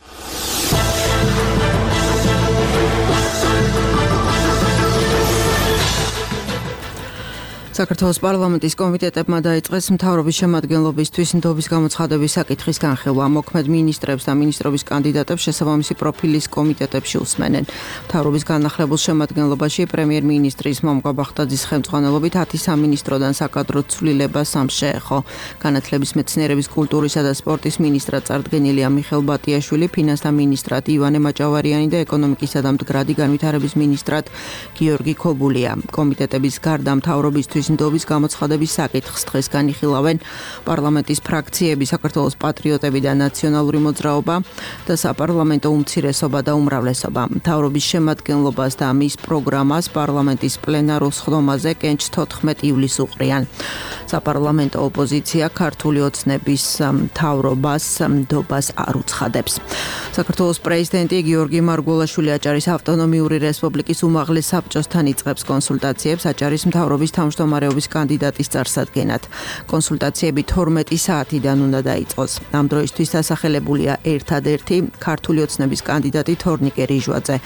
საქართველოს პარლამენტის კომიტეტებმა დაიწყეს მთავრობის შემადგენლობისთვის ნდობის გამოცხადების საკითხის განხილვა. მოქმედ მინისტრებს და მინისტრობის კანდიდატებს შესაბამისი პროფილის კომიტეტებში უსმენენ. მთავრობის განახლებულ შემადგენლობაში პრემიერ-მინისტრის მომყვა ბახტაძის ხელმძღვანელობით 10 სამინისტროდან საკადრო ცვლილება 3 შეეხო. განათლების, მეცნიერების, კულტურისა და სპორტის მინისტრად წარდგენილია მიხეილ ბატიაშვილი, ფინანსთა მინისტრად ივანე მაჭავარიანი და ეკონომიკისა და მდგრადი განვითარების მინისტრად გიორგი ქობულია. კომიტეტების გარდა მთავრობისთვის ნდობის გამოცხადების საკითხს დღეს განიხილავენ პარლამენტის ფრაქციები, საქართველოს პატრიოტები და ნაციონალური მოძრაობა და საპარლამენტო უმცირესობა და უმრავლესობა. მთავრობის შემადგენლობას და მის პროგრამას პარლამენტის პლენარულ სხდომაზე კენჭს 14 ივლისს უყრიან. საპარლამენტო ოპოზიცია ქართული ოცნების მთავრობას ნდობას არ უცხადებს. საქართველოს პრეზიდენტი გიორგი მარგველაშვილი აჭარის ავტონომიური რესპუბლიკის უმაღლეს საბჭოსთან იწყებს კონსულტაციებს აჭარის მთავრობის თავმჯდომარეობის კანდიდატის წარსადგენად. კონსულტაციები 12 საათიდან უნდა დაიწყოს. ამ დროისთვის დასახელებულია ერთადერთი ქართული ოცნების კანდიდატი თორნიკე რიჟვაძე.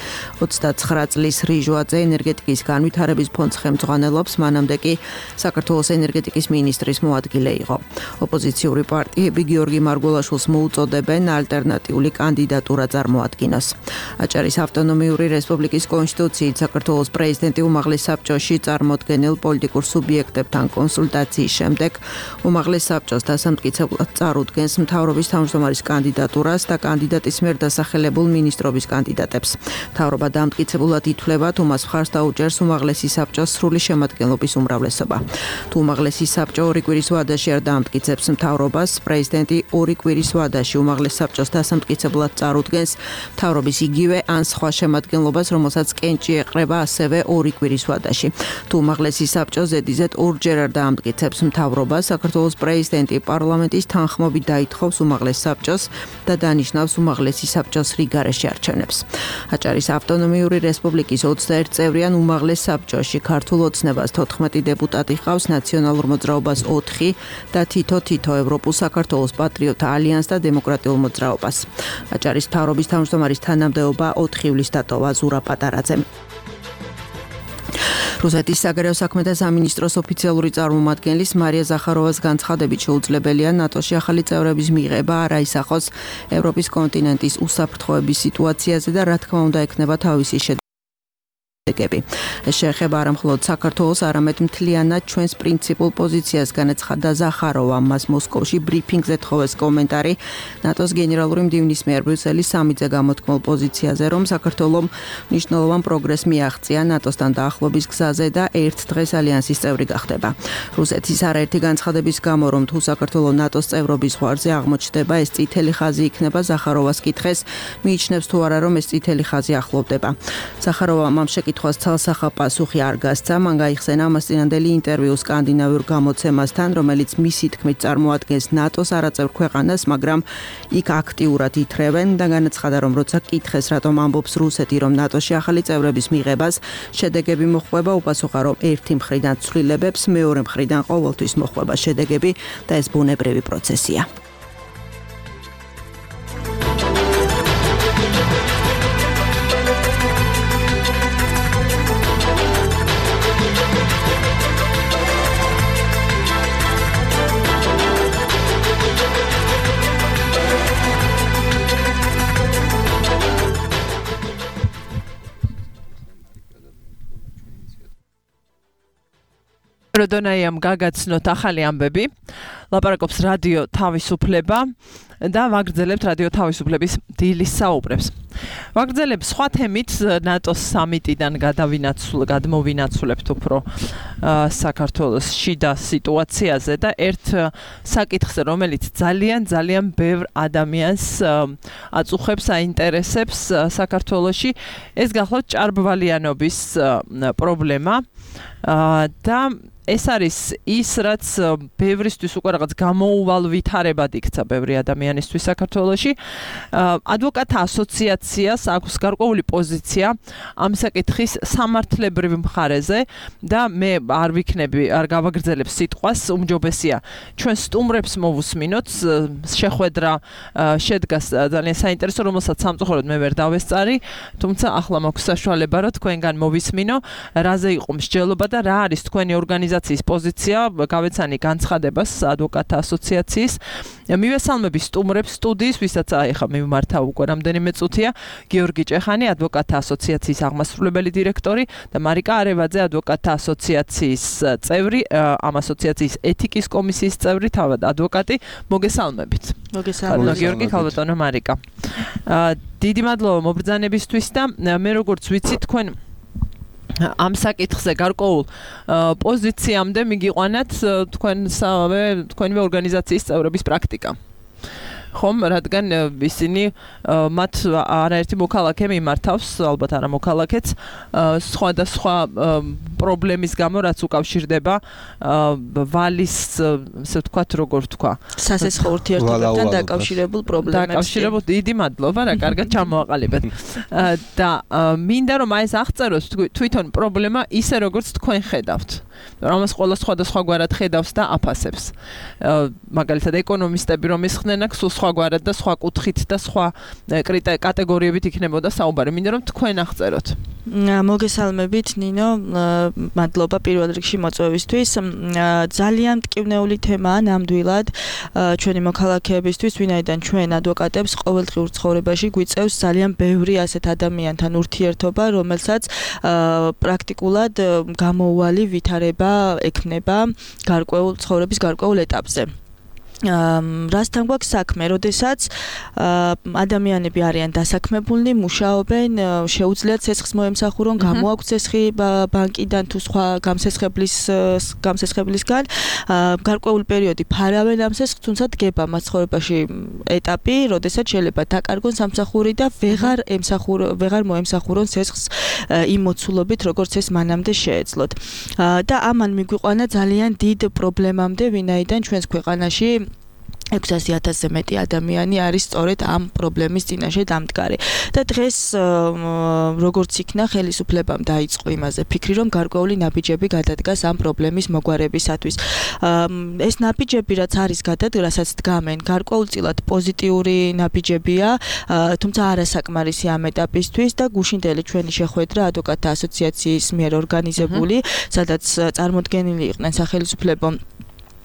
29 წლის რიჟვაძე ენერგეტიკის განვითარების ფონდს ხელმძღვანელობს, მანამდე კი საქართველოს ენერგეტიკის მინისტრის მოადგილე იყო. ოპოზიციური პარტიები გიორგი მარგველაშვილს მოუწოდებენ ალტერნატიული კანდიდატურა წარმოადგინოს. აჭარის ავტონომიური რესპუბლიკის კონსტიტუციით საქართველოს პრეზიდენტი უმაღლეს საბჭოში წარმოდგენილ პოლიტიკურ სუბიექტებთან კონსულტაციის შემდეგ უმაღლეს საბჭოს დასამტკიცებლად წარუდგენს მთავრობის თავმჯდომარის კანდიდატურას და კანდიდატის მიერ დასახელებულ მინისტრობის კანდიდატებს. მთავრობა დამტკიცებულად ითვლება, თუ მას მხარს დაუჭერს უმაღლესი საბჭოს სრული შემადგენლობის უმრავლესობა. თუ უმაღლესი საბჭო 2 კვირის ვადაში არ დაამტკიცებს მთავრობას, პრეზიდენტი 2 კვირის ვადაში უმაღლეს საბჭოს დასამტკიცებლად წარუდგენს მთავრობის იგივე ან სხვა შემადგენლობას, რომელსაც კენჭი ეყრება ასევე 2 კვირის ვადაში. თუ უმაღლესი საბჭო ზედიზედ 2ჯერ არ დაამტკიცებს მთავრობას, საქართველოს პრეზიდენტი პარლამენტის თანხმობით დაითხოვს უმაღლეს საბჭოს და დანიშნავს უმაღლესი საბჭოს რიგარეში არჩევნებს. აჭარის ავტონომიური რესპუბლიკის 21 წევრიან უმაღლეს საბჭოში ქართულ ოცნებას 14 დეპუტატი ყავს, ნაციონალურ მოძრაობას 4 და თითო ევროპულ საქართველოს პატრიოტთა ალიანსს და დემოკრატიულ მოძრაობას. აჭარის მთავრობის თავმჯდომარის თანამდებობა 4 ივლისს დატოვა ზურა პატარაძემ. რუსეთის საგარეო საქმეთა სამინისტროს ოფიციალური წარმომადგენლის მარია ზახაროვას განცხადებით შეუძლებელია ნატოში ახალი წევრების მიღება არ აისახოს ევროპის კონტინენტის უსაფრთხოების სიტუაციაზე და რა თქმა უნდა ექნება თავისი შედეგები. ეს შეეხება არა მხოლოდ საქართველოს, არამედ მთლიანად ჩვენს პრინციპულ პოზიციას, განაცხადა ზახაროვა. მას მოსკოვში ბრიფინგზე თხოვეს კომენტარი ნატოს გენერალური მდივნის მიერ ბრიუსელის სამიტზე გამოთქმულ პოზიციაზე, რომ საქართველომ მნიშვნელოვან პროგრესს მიაღწია ნატოსთან დაახლოების გზაზე და ერთ დღეს ალიანსის წევრი გახდება. რუსეთის არაერთი განცხადების გამო, რომ თუ საქართველო ნატოს წევრობის ზღვარზე აღმოჩნდება, ეს წითელი ხაზი იქნება, ზახაროვას კითხეს, მიიჩნევს თუ არა, რომ ეს წითელი ხაზი ახლოვდება. ზახაროვამ ამ შეკითხვას ცალსახა პასუხი არ გასცა. მან გაიხსენა ამას წინანდელი ინტერვიუ სკანდინავიურ გამოცემასთან, რომელიც მისი თქმით წარმოადგენს ნატოს არაწევრ ქვეყანას, მაგრამ იქ აქტიურად ითრევენ და განაცხადა, რომ როცა კითხეს, რატომ ამბობს რუსეთი, რომ ნატოში ახალი წევრების მიღებას შედეგები მოხვება, უპასუხა, რომ ერთი მხრიდან ცვლილებებს, მეორე მხრიდან ყოველთვის მოხვება შედეგები და ეს ბუნებრივი პროცესია. როდონაიამ გაგაცნოთ ახალი ამბები, ლაპარაკობს რადიო თავისუფლება და ვაგრძელებთ რადიო თავისუფლების დილის საუბრებს. ვაგრძელებთ სხვა თემით ნატოს სამიტიდან გადმოვინაცვლებთ უფრო საქართველოს შიდა სიტუაციაზე და ერთ საკითხზე, რომელიც ძალიან ბევრ ადამიანს აწუხებს, აინტერესებს საქართველოში, ეს გახლავთ ჭარბვალიანობის პრობლემა და ეს არის ის, რაც ბევრისთვის უკვე რაღაც გამოუვალ ვითარებად იქცა ბევრი ადამიანისთვის საქართველოში. ადვოკატთა ასოციაციას აქვს გარკვეული პოზიცია ამ საკითხის სამართლებრივ მხარეზე და მე არ გავაგრძელებ სიტყვას, უმჯობესია ჩვენ სტუმრებს მოვუსმინოთ. შეხვედრა შედგას ძალიან საინტერესო, რომელსაც სამწუხაროდ მე ვერ დავესწარი, თუმცა ახლა მაქვს საშუალება, რომ თქვენგან მოვისმინო, რაზე იყო მსჯელობა და რა არის თქვენი ორგანიზაციის პოზიცია, გავეცანი განცხადებას ადვოკატთა ასოციაციის. მივესალმები სტუმრებს სტუდიის, ვისაც ახლა მიმართა უკვე რამდენიმე წუთია, გიორგი ჭეხანი, ადვოკატთა ასოციაციის აღმასრულებელი დირექტორი და მარიკა არევაძე, ადვოკატთა ასოციაციის წევრი, ამ ასოციაციის ეთიკის კომისიის წევრი, თავად ადვოკატი. მოგესალმებით. მოგესალმებით. გიორგი, ქალბატონო მარიკა. დიდი მადლობა მობრძანებისთვის და მე როგორც ვიცი, თქვენ ამ საკითხზე გარკვეულ პოზიციამდე მიგიყვანათ თქვენივე ორგანიზაციის წევრების პრაქტიკა. ხომ, რადგან ისინი მათ არაერთი მოქალაქე მიმართავს, ალბათ არა მოქალაქეც, სხვადასხვა პრობლემის გამო, რაც უკავშირდება ვალის, ასე ვთქვათ, როგორ ვთქვა, სასესხო ურთიერთობებთან დაკავშირებულ პრობლემებს. დაკავშირებულ, დიდი მადლობა, რა კარგად ჩამოაყალიბეთ. და მინდა რომ აი ეს აღწეროთ თვითონ პრობლემა ისე როგორც თქვენ ხედავთ. რამაც ყველა სხვადასხვაგვარად ხედავს და აფასებს. მაგალითად ეკონომისტები რომ ისხდნენ აქ სულ სხვაგვარად და სხვა კუთხით და სხვა კატეგორიებით იქნებოდა საუბარი. მინდა რომ თქვენ აღწეროთ. მოგესალმებით ნინო, მადლობა პირველ რიგში მოწვევისთვის. ძალიან მტკივნეული თემაა ნამდვილად ჩვენი მოქალაქეებისთვის, ვინაიდან ჩვენ ადვოკატებს ყოველდღიურ ცხოვრებაში გვიწევს ძალიან ბევრი ასეთ ადამიანთან ურთიერთობა, რომელსაც პრაქტიკულად გამოუვალი ვითარება ექნება გარკვეულ ცხოვრების გარკვეულ ეტაპზე. რასთან გვაქვს საქმე, როდესაც ადამიანები არიან დასაქმებულნი, მუშაობენ, შეუძლიათ ცეცხლს მოემსახურონ, გამოაქვთ ცეცხლი ბანკიდან თუ სხვა გამსესხებლისგან, გარკვეული პერიოდი ფარავენ ამ ცეცხლს, თუმცა დგება მათ ცხოვრებაში ეტაპი, როდესაც შეიძლება დაკარგონ სამსახური და ვეღარ მოემსახურონ ცეცხლს იმ მოცულობით, როგორც ეს მანამდე შეეძლოთ. და ამან მიგვიყვანა ძალიან დიდ პრობლემამდე, ვინაიდან ჩვენს ქვეყანაში 600,000-ზე მეტი ადამიანი არის სწორედ ამ პრობლემის წინაშე დამდგარი. და დღეს როგორც იქნა ხელისუფლებამ დაიწყო იმაზე ფიქრი, რომ გარკვეული ნაბიჯები გადადგას ამ პრობლემის მოგვარებისათვის. ეს ნაბიჯები რაც არის გადადგასაც დგამენ, გარკვეულწილად პოზიტიური ნაბიჯებია, თუმცა არასაკმარისი ამ ეტაპისთვის და გუშინდელი ჩვენი შეხვედრა ადვოკატთა ასოციაციის მიერ ორგანიზებული, სადაც წარმოდგენილი იყვნენ სახელმწიფო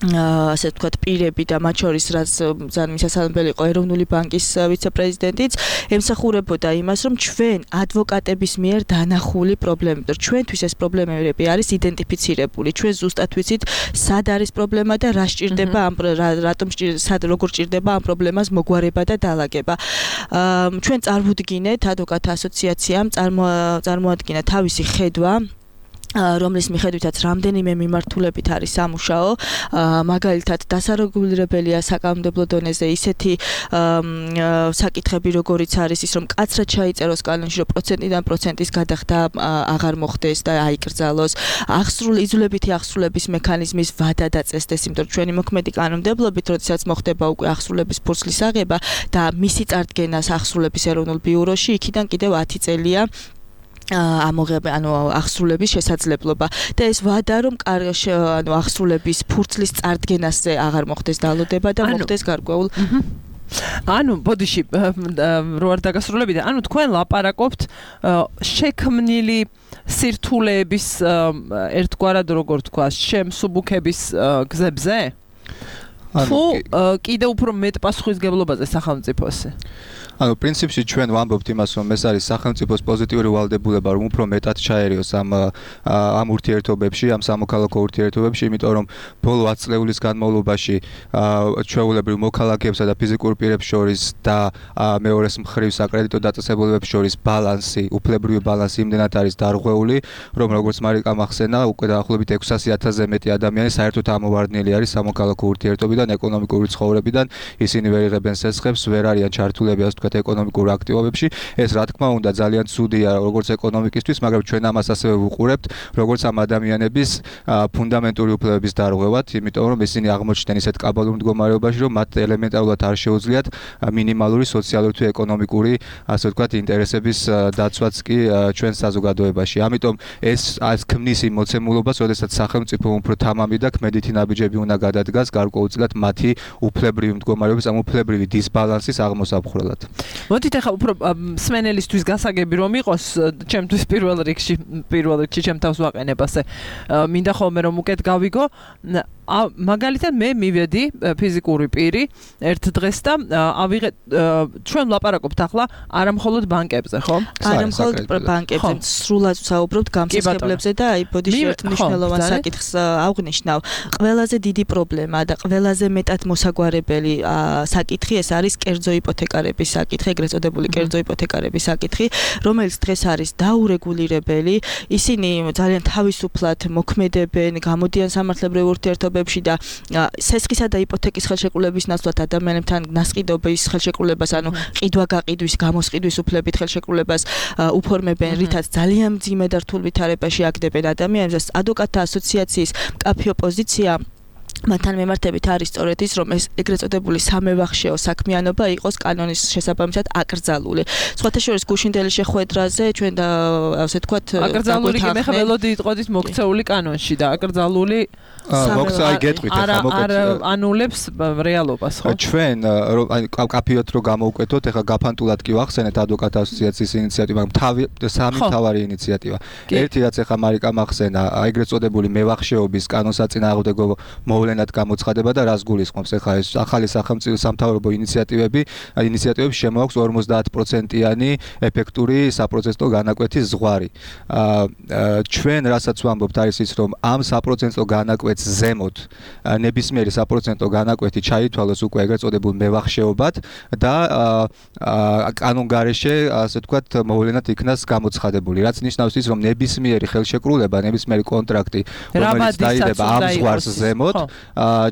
ასე ვთქვათ პირები და მათ შორის რაც ძალიან მისასალმებელი იყო ეროვნული ბანკის ვიცე-პრეზიდენტიც, ემსახურებოდა იმას, რომ ჩვენ ადვოკატების მიერ დანახული პრობლემები, რომ ჩვენთვის ეს პრობლემები არის იდენტიფიცირებული. ჩვენ ზუსტად ვიცით, სად არის პრობლემა და რა სჭირდება როგორ სჭირდება ამ პრობლემას მოგვარება და დალაგება. ჩვენ წარმოვდგინეთ ადვოკატთა ასოციაციამ წარმოადგინა თავისი ხედვა რომლის მიხედვითაც რამდენიმე მიმართულებით არის სამუშაო, მაგალითად დასარეგულირებელია საკანონმდებლო დონეზე ისეთი საკითხები, როგორიც არის ის, რომ კაცრად ჩაიწეროს კანონში, რომ პროცენტიდან პროცენტის გადახდა აღარ მოხდეს და აიკრძალოს, იძულებითი აღსრულების მექანიზმის ვადა დაწესდეს, იმიტომ რომ ჩვენი მოქმედი კანონმდებლობით, როდესაც მოხდება უკვე აღსრულების ფურცლის აღება და მისი წარდგენას აღსრულების ეროვნულ ბიუროში, იქიდან კიდევ 10 წელია აღსრულების შესაძლებლობა და ეს ვადა რომ აღსრულების ფურცლის წარდგენასზე აღარ მოხდეს დალოდება და მოხდეს გარკვეულ ბოდიში რო არ დაგასრულებინა, თქვენ ლაპარაკობთ შექმნილი სირთულეების ერთგვარად როგორ თქვა, შემსუბუქების გზებზე? თუ კიდევ უფრო მეტ პასუხისგებლობაზე სახელმწიფოსი? პრინციპში ჩვენ ვამბობთ იმას, რომ ეს არის სახელმწიფოს პოზიტიური ვალდებულება, რომ უფრო მეტად ჩაერიოს ამ ურთიერთობებში, ამ სამოქალაქო ურთიერთობებში, იმიტომ რომ ბოლო 10 წლების განმავლობაში ჩვეულებრივ მოქალაქეებსა და ფიზიკურ პირებს შორის და მეორეს მხრივ საკრედიტო დაწესებულებებს შორის ბალანსი, უფლებრივი ბალანსი იმდენად არის დარღვეული, რომ როგორც მარიკამ ახსენა, უკვე დაახლოებით 600,000-ზე მეტი ადამიანი საერთოდ ამოვარდნილი არის სამოქალაქო ურთიერთობიდან, ეკონომიკური ცხოვრებიდან, ისინი ვერ იღებენ სესხებს, ვერ არიან ჩართულები ასე ვთქვათ ეკონომიკურ აქტივობებში. ეს რა თქმა უნდა ძალიან ცუდია როგორც ეკონომიკისთვის, მაგრამ ჩვენ ამას ასევე ვუყურებთ, როგორც ამ ადამიანების ფუნდამენტური უფლებების დარღვევად, იმიტომ რომ ისინი აღმოჩნდნენ ისეთ კაბალურ მდგომარეობაში, რომ მათ ელემენტარულად არ შეუძლიათ მინიმალური სოციალური თუ ეკონომიკური ასე ვთქვათ ინტერესების დაცვაც კი ჩვენ საზოგადოებაში. ამიტომ ეს ქმნის იმ მოცემულობას, როდესაც სახელმწიფო უფრო თამამი და ქმედითი ნაბიჯები უნდა გადადგას გარკვეულწილად მათი უფლებრივი მდგომარეობის, ამ უფლებრივი დისბალანსის აღმოსაფხვრელად. მოდით ახლა უფრო მსმენელისთვის გასაგები რომ იყოს, ჩემთვის პირველ რიგში ჩემ თავს ვაყენებ ასე. მინდა ხოლმე რომ უკეთ გავიგო. მაგალითად მე მივედი ფიზიკური პირი ერთ დღეს და ავიღე ჩვენ ვლაპარაკობთ ახლა არა მხოლოდ ბანკებზე, ხო? არა მხოლოდ ბანკებზე, სრულად ვსაუბრობთ გამსახურებლებზე და აი ბოდიში ერთ მნიშვნელოვან საკითხს აღვნიშნავ. ყველაზე დიდი პრობლემა და ყველაზე მეტად მოსაგვარებელი საკითხი ეს არის კერძო იპოთეკარების საკითხი, ეგრეთ წოდებული კერძო იპოთეკარების საკითხი, რომელიც დღეს არის დაურეგულირებელი. ისინი ძალიან თავისუფლად მოქმედებენ, გამოდიან სამართლებრივ ურთიერთობებში და სესხისა და იპოთეკის ხელშეკრულების ნაცვლად ადამიანებთან ნასყიდობის ხელშეკრულებას, ყიდვა-გაყიდვის, გამოსყიდვის უფლებით ხელშეკრულებას უფორმებენ, რითაც ძალიან მძიმე და რთულ ვითარებაში აგდებენ ადამიანებს. ადვოკატთა ასოციაციის მკაფიო პოზიცია მათთან მიმართებით არის სწორედ ის, რომ ეს ეგრეთ წოდებული სამევახშეო საქმიანობა იყოს კანონის შესაბამისად აკრძალული. სხვათა შორის გუშინდელი შეხვედრაზე ჩვენ და ასე ვთქვათ აკრძალული კი მე ხა ველოდი იტყოდით მოქცეული კანონში და აკრძალული მოქცევა გეტყვით ახლა მოკეთ ანულებს რეალობას, ხო? ჩვენ კაფიოთ რო გამოვკვეთოთ, ახლა გაფანტულად კი ვახსენეთ ადვოკატთა ასოციაციის ინიციატივა, სამი მთავარი ინიციატივა. ერთი რაც ახლა მარიკამ ახსენა, ეგრეთ წოდებული მევახშეობის კანონსაწინააღმდეგო მოვლენად გამოცხადება და რას გულისხმობს ახლა ეს ახალი სახელმწიფო სამთავრობო ინიციატივებს შემოაქვს 50%-იანი ეფექტური საპროცესო განაკვეთის ზღვარი. ჩვენ რასაც ვამბობთ არის ის, რომ ამ საპროცესო განაკვეთს ზემოთ ნებისმიერი საპროცესო განაკვეთი ჩაითვალოს უკვე ეგრეთ წოდებულ მევახშეობად და კანონგარეშე ასე ვთქვათ მოვლენად იქნას გამოცხადებული. რაც ნიშნავს ის, რომ ნებისმიერი ხელშეკრულება, ნებისმიერი კონტრაქტი, რომელიც დაიდება ამ ზღვარს ზემოთ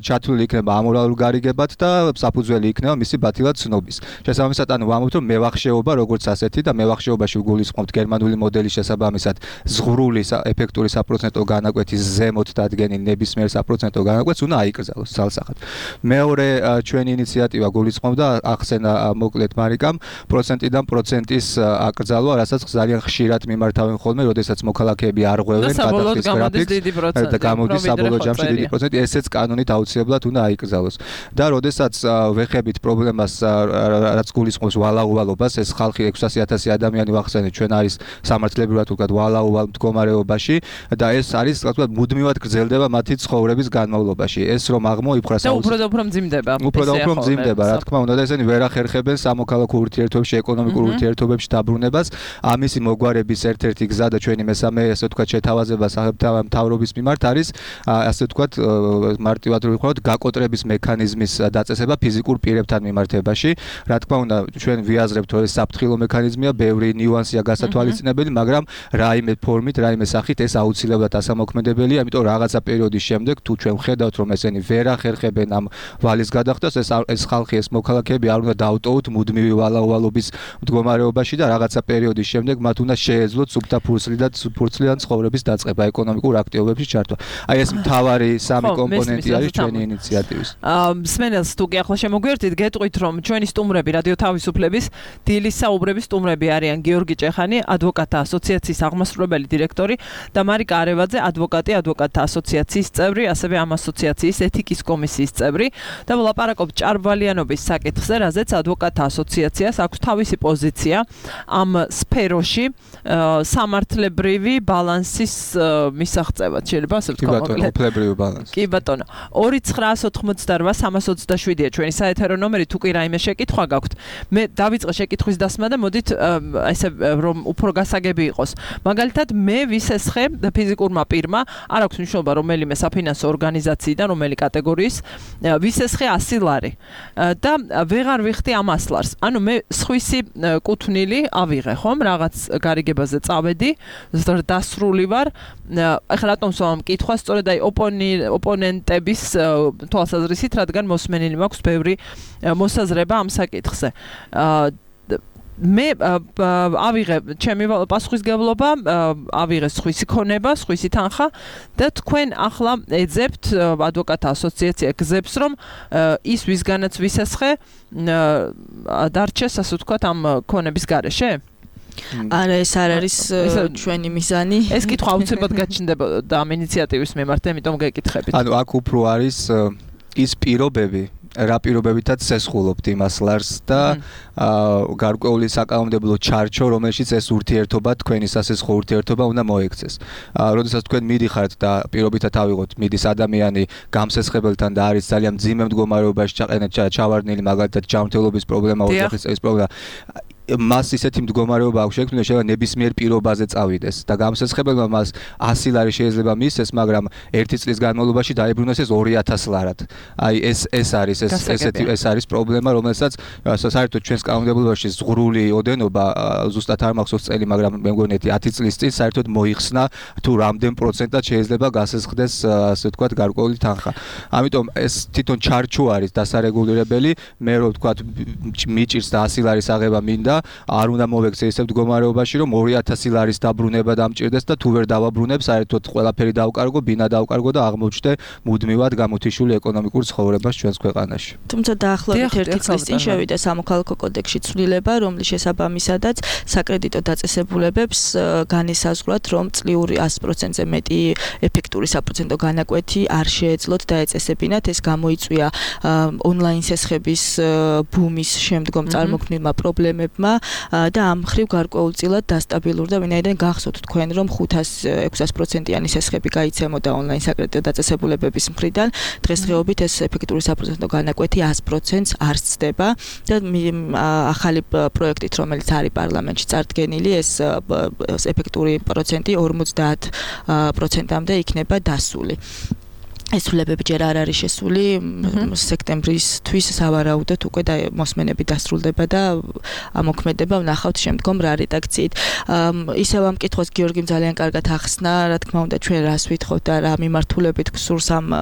ჩათვლილი იქნება ამორალურ გარიგებად და საფუძველი იქნება მისი ბათილად ცნობის. შესაბამისად, ვამბობთ, რომ მევახშეობა როგორც ასეთი და მევახშეობაში ვგულისხმობთ გერმანული მოდელის შესაბამისად ზღვრული ეფექტური საპროცენტო განაკვეთის ზემოთ დადგენილ ნებისმიერ საპროცენტო განაკვეთს უნდა აიკრძალოს ძალსახად. მეორე ჩვენი ინიციატივა გულისხმობდა ახსენა მოკლედ მარიკამ პროცენტიდან პროცენტის აკრძალვა, რასაც ძალიან ხშირად მიმართავენ ხოლმე, როდესაც მოქალაქეები არ ღვევენ გადახდის გრაფიკს და გამოდის საბოლოო ჯამში დიდი პროცენტი, ესეც კანონით აუცილებლად უნდა აიკრძალოს. და როდესაც ვეხებით პრობლემას, რაც გულისხმობს ვალაუვალობას, ეს ხალხი 600,000 ადამიანი ვახსენეთ, ჩვენ არის სამართლებრივად ვთქვათ ვალაუვალ მდგომარეობაში და ეს არის თქვათ მუდმივად გრძელდება მათი ცხოვრების განმავლობაში. ეს რომ აღმოიფხვრა უფრო და უფრო მძიმდება. უფრო და უფრო მძიმდება, რა თქმა უნდა და ესენი ვერ ახერხებენ სამოქალაქო ურთიერთობებში, ეკონომიკურ ურთიერთობებში დაბრუნებას. ამისი მოგვარების ერთ-ერთი გზა და ჩვენი მესამე ასე ვთქვათ შეთავაზება სახელმწიფო მთავრობის მიმართ არის ასე ვთქვათ მარტივად რო ვიყავთ გაკოტრების მექანიზმის დაწესება ფიზიკურ პირებთან მიმართებაში. Რა თქმა უნდა, ჩვენ ვიაზრებთ, რომ ეს საფრთხილო მექანიზმია, ბევრი ნიუანსია გასათვალისწინებელი, მაგრამ რაიმე ფორმით, რაიმე სახით ეს აუცილებლად ასამოქმედებელია, ამიტომ რაღაცა პერიოდის შემდეგ თუ ჩვენ ვხედავთ, რომ ესენი ვერ ახერხებენ ამ ვალის გადახდას, ეს ხალხი, ეს მოქალაქეები არ უნდა დაუტოვოთ მუდმივი ვალაუვალობის მდგომარეობაში და რაღაცა პერიოდის შემდეგ მათ უნდა შეეძლოთ სუფთა ფურცლიდან ცხოვრების დაწყება, ეკონომიკურ აქტივობებში ჩართვა. Აი ეს მთავარი სამი კომპონენტი არის ჩვენი ინიციატივის. მსმენელს თუ კი ახლა შემოგვიერთით, გეტყვით რომ ჩვენი სტუმრები რადიო თავისუფლების დილის საუბრების სტუმრები არიან გიორგი ჭეხანი, ადვოკატთა ასოციაციის აღმასრულებელი დირექტორი და მარიკა არევაძე, ადვოკატი, ადვოკატთა ასოციაციის წევრი, ასევე ამ ასოციაციის ეთიკის კომისიის წევრი და ვლაპარაკობთ ჭარბვალიანობის საკითხზე, რაზეც ადვოკატთა ასოციაციას აქვს თავისი პოზიცია ამ სფეროში სამართლებრივი ბალანსის მისაღწევად. შეიძლება ასე ვთქვა მოკლედ. უფლებრივი ბალანსი. კი ბატონო. 29988 ჩვენი საეთერო ნომერი, თუ კი რაიმე შეკითხვა გაქვთ. მე დავიწყე შეკითხვის დასმა და მოდით ესე რომ უფრო გასაგები იყოს. მაგალითად, მე ვისესხე ფიზიკურმა პირმა, არ აქვს მნიშვნელობა რომელიმე საფინანსო ორგანიზაციიდან, რომელი კატეგორიის, ვისესხე 100 ლარი და ვეღარ ვიხდი ამ 100 ლარს. ანუ მე სხვისი კუთვნილი ავიღე, ხომ? რაღაც გარიგებაზე წავედი, დასრული ვარ. ახლა რატომ სვამ კითხვა, სწორედ აი ოპონენტების თვალსაზრისით, რადგან მოსმენილი მაქვს ბევრი მოსაზრება ამ საკითხზე. მე ავიღე ჩემი პასუხისგებლობა, ავიღე სხვისი ქონება, სხვისი თანხა და თქვენ ახლა ეძებთ ადვოკატთა ასოციაცია გზებს, რომ ის ვისგანაც ვისესხე დარჩეს, ასე ვთქვათ, ამ ქონების გარეშე? არა, ეს არ არის ჩვენი მიზანი. ეს კითხვა აუცილებლად გაჩნდებოდა ამ ინიციატივის მიმართ, ამიტომ გეკითხებით. ანუ აქ უფრო არის ის პირობები, რა პირობებითაც სესხულობთ იმას ლარს და გარკვეული საკანონმდებლო ჩარჩო, რომელშიც ეს ურთიერთობა, თქვენი სასესხო ურთიერთობა უნდა მოექცეს. როდესაც თქვენ მიდიხართ და პირობითად ავიღოთ, მიდის ადამიანი გამსესხებელთან და არის ძალიან მძიმე მდგომარეობაში ჩავარდნილი, მაგალითად ჯანმრთელობის პრობლემა, ოჯახის წესის პრობლემა, მას ისეთი მდგომარეობა აქვს შექმნილი, შეიძლება ნებისმიერ პირობაზე წავიდეს და გამსესხებელმა მას 100 ლარი შეიძლება მისცეს, მაგრამ ერთი წლის განმავლობაში დაებრუნოს ეს 2000 ლარად. აი ეს არის ეს არის პრობლემა, რომელსაც საერთოდ ჩვენს კანონმდებლობაში ზღვრული ოდენობა ზუსტად არ მახსოვს წელი, მაგრამ მე მგონი 10 წლის წინ საერთოდ მოიხსნა თუ რამდენ პროცენტად შეიძლება გასესხდეს, ასე ვთქვათ, გარკვეული თანხა. ამიტომ ეს თვითონ ჩარჩო არის დასარეგულირებელი, მე რო ვთქვათ მიჭირს და 100 ლარის აღება მინდა, არ უნდა მოვექცე ისე მდგომარეობაში, რომ 2000 ლარის დაბრუნება დამჭირდეს და თუ ვერ დავაბრუნებ, საერთოდ ყველაფერი დავკარგო, ბინა დავკარგო და აღმოჩნდე მუდმივად გამოთიშული ეკონომიკურ ცხოვრებას ჩვენს ქვეყანაში. თუმცა დაახლოებით 1 წლის წინ შევიდა სამოქალაქო კოდექსში ცვლილება, რომლის შესაბამისადაც საკრედიტო დაწესებულებებს განისაზღვრათ, რომ წლიური 100%-ზე მეტი ეფექტური საპროცენტო განაკვეთი არ შეეძლოთ და ეწესებინათ. ეს გამოიწვია ონლაინ სესხების ბუმის შემდგომ წარმოქმნილმა პრობლემებმა და ამ მხრივ გარკვეულწილად დასტაბილურდა, ვინაიდან გახსოვთ თქვენ, რომ 500-600%-იანი სესხები გაიცემოდა ონლაინ საკრედიტო დაწესებულებების მხრიდან. დღესდღეობით ეს ეფექტური საპროცენტო განაკვეთი 100%-ს არ ცდება და ახალი პროექტით, რომელიც არის პარლამენტში წარდგენილი, ეს ეფექტური პროცენტი 50%-მდე იქნება დასული. ეს ცვლილებები ჯერ არ არის შესული, სექტემბრისთვის სავარაუდოდ უკვე მოსმენები დასრულდება და ამოქმედება ვნახავთ შემდგომ რა რედაქციით. ისევ ამ კითხვას გიორგიმ ძალიან კარგად ახსნა, რა თქმა უნდა ჩვენ რას ვითხოვთ და რა მიმართულებით გსურს ამ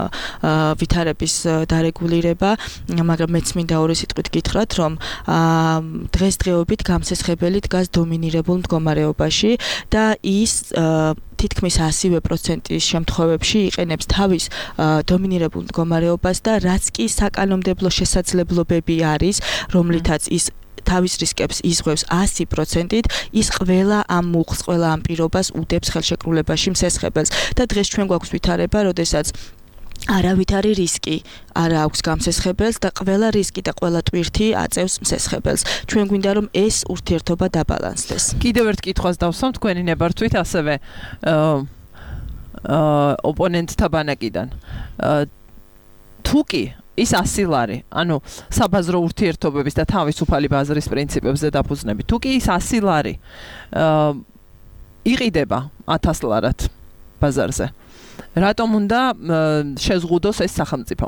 ვითარების დარეგულირება, მაგრამ მეც მინდა ორი სიტყვით გითხრათ, რომ დღესდღეობით გამსესხებელი დგას დომინირებულ მდგომარეობაში და ის თითქმის 100% შემთხვევებში იყენებს თავის დომინირებულ მდგომარეობას და რაც კი საკანონმდებლო შესაძლებლობები არის, რომლითაც ის თავის რისკებს იზღვევს 100%-ით, ის ყველა ამ მუხს, ყველა ამ პირობას უდებს ხელშეკრულებაში მსესხებელს და დღეს ჩვენ გვაქვს ვითარება, როდესაც არავითარი რისკი არ აქვს გამსესხებელს და ყველა რისკი და ყველა ტვირთი აწევს მსესხებელს. ჩვენ გვინდა რომ ეს ურთიერთობა დაბალანსდეს. კიდევ ერთ კითხვას დავსვამ თქვენი ნებართვით, ასევე ოპონენტთა ბანაკიდან. თუ კი ის 100 ლარი, ანუ საბაზრო ურთიერთობების და თავისუფალი ბაზრის პრინციპებზე დაფუძნებით, თუ კი ის 100 ლარი იყიდება 1000 ლარად ბაზარზე. რატომ უნდა შეზღუდოს ეს სახელმწიფო?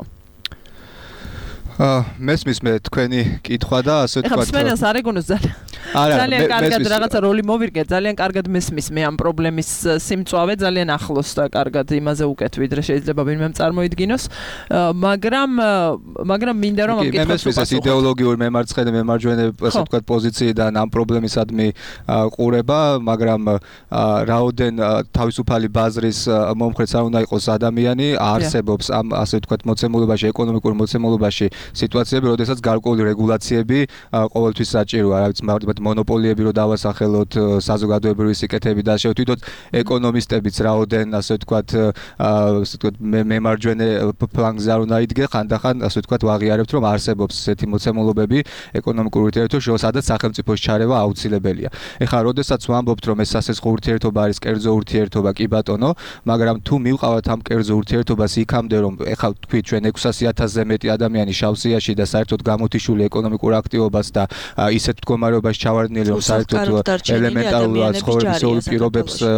მესმის მე თქვენი კითხვა და ასე თქვა. ეხლა მსმენელს არ ეგონოს ძალიან კარგად რაღაცა როლი მოვირგე, ძალიან კარგად მესმის მე ამ პრობლემის სიმწვავე, ძალიან ახლოს და კარგად იმაზე უკეთ ვიდრე შეიძლება ვინმემ წარმოიდგინოს, მაგრამ მინდა რომ ამ კითხვას მესმის ეს იდეოლოგიური მემარცხენე მემარჯვენე ასე თქვა პოზიციიდან ამ პრობლემისადმი ყურება, მაგრამ რაოდენ თავისუფალი ბაზრის მომხრეც არ უნდა იყოს ადამიანი, არსებობს ამ ასე თქვა მოცემულობაში, ეკონომიკურ მოცემულობაში სიტუაციები, როდესაც გარკვეული რეგულაციები ყოველთვის საჭიროა, რა ვიცი, მაგალითად მონოპოლიები რო დავასახელოთ, საზოგადოებრივი სიკეთეები და ასე თვითონ ეკონომისტებიც რაოდენ ასე ვთქვათ მემარჯვენე ფლანგზე არ უნდა იდგე, ხანდახან ასე ვთქვათ ვაღიარებთ, რომ არსებობს ესეთი მოცემულობები ეკონომიკურ ურთიერთობაში, სადაც სახელმწიფოს ჩარევა აუცილებელია. ეხლა როდესაც ვამბობთ, რომ ეს სასესხო ურთიერთობა არის კერძო ურთიერთობა, კი ბატონო, მაგრამ თუ მივყავთ ამ კერძო ურთიერთობას იქამდე, რომ ეხლა თქვი ჩვენ 600,000-ზე მეტი ადამიანი შავსიაში და საერთოდ გამოთიშული ეკონომიკურ აქტივობას და ისეთ მდგომარეობაში ჩავარდნილი, რომ საერთოდ ელემენტარულ ცხოვრებისეულ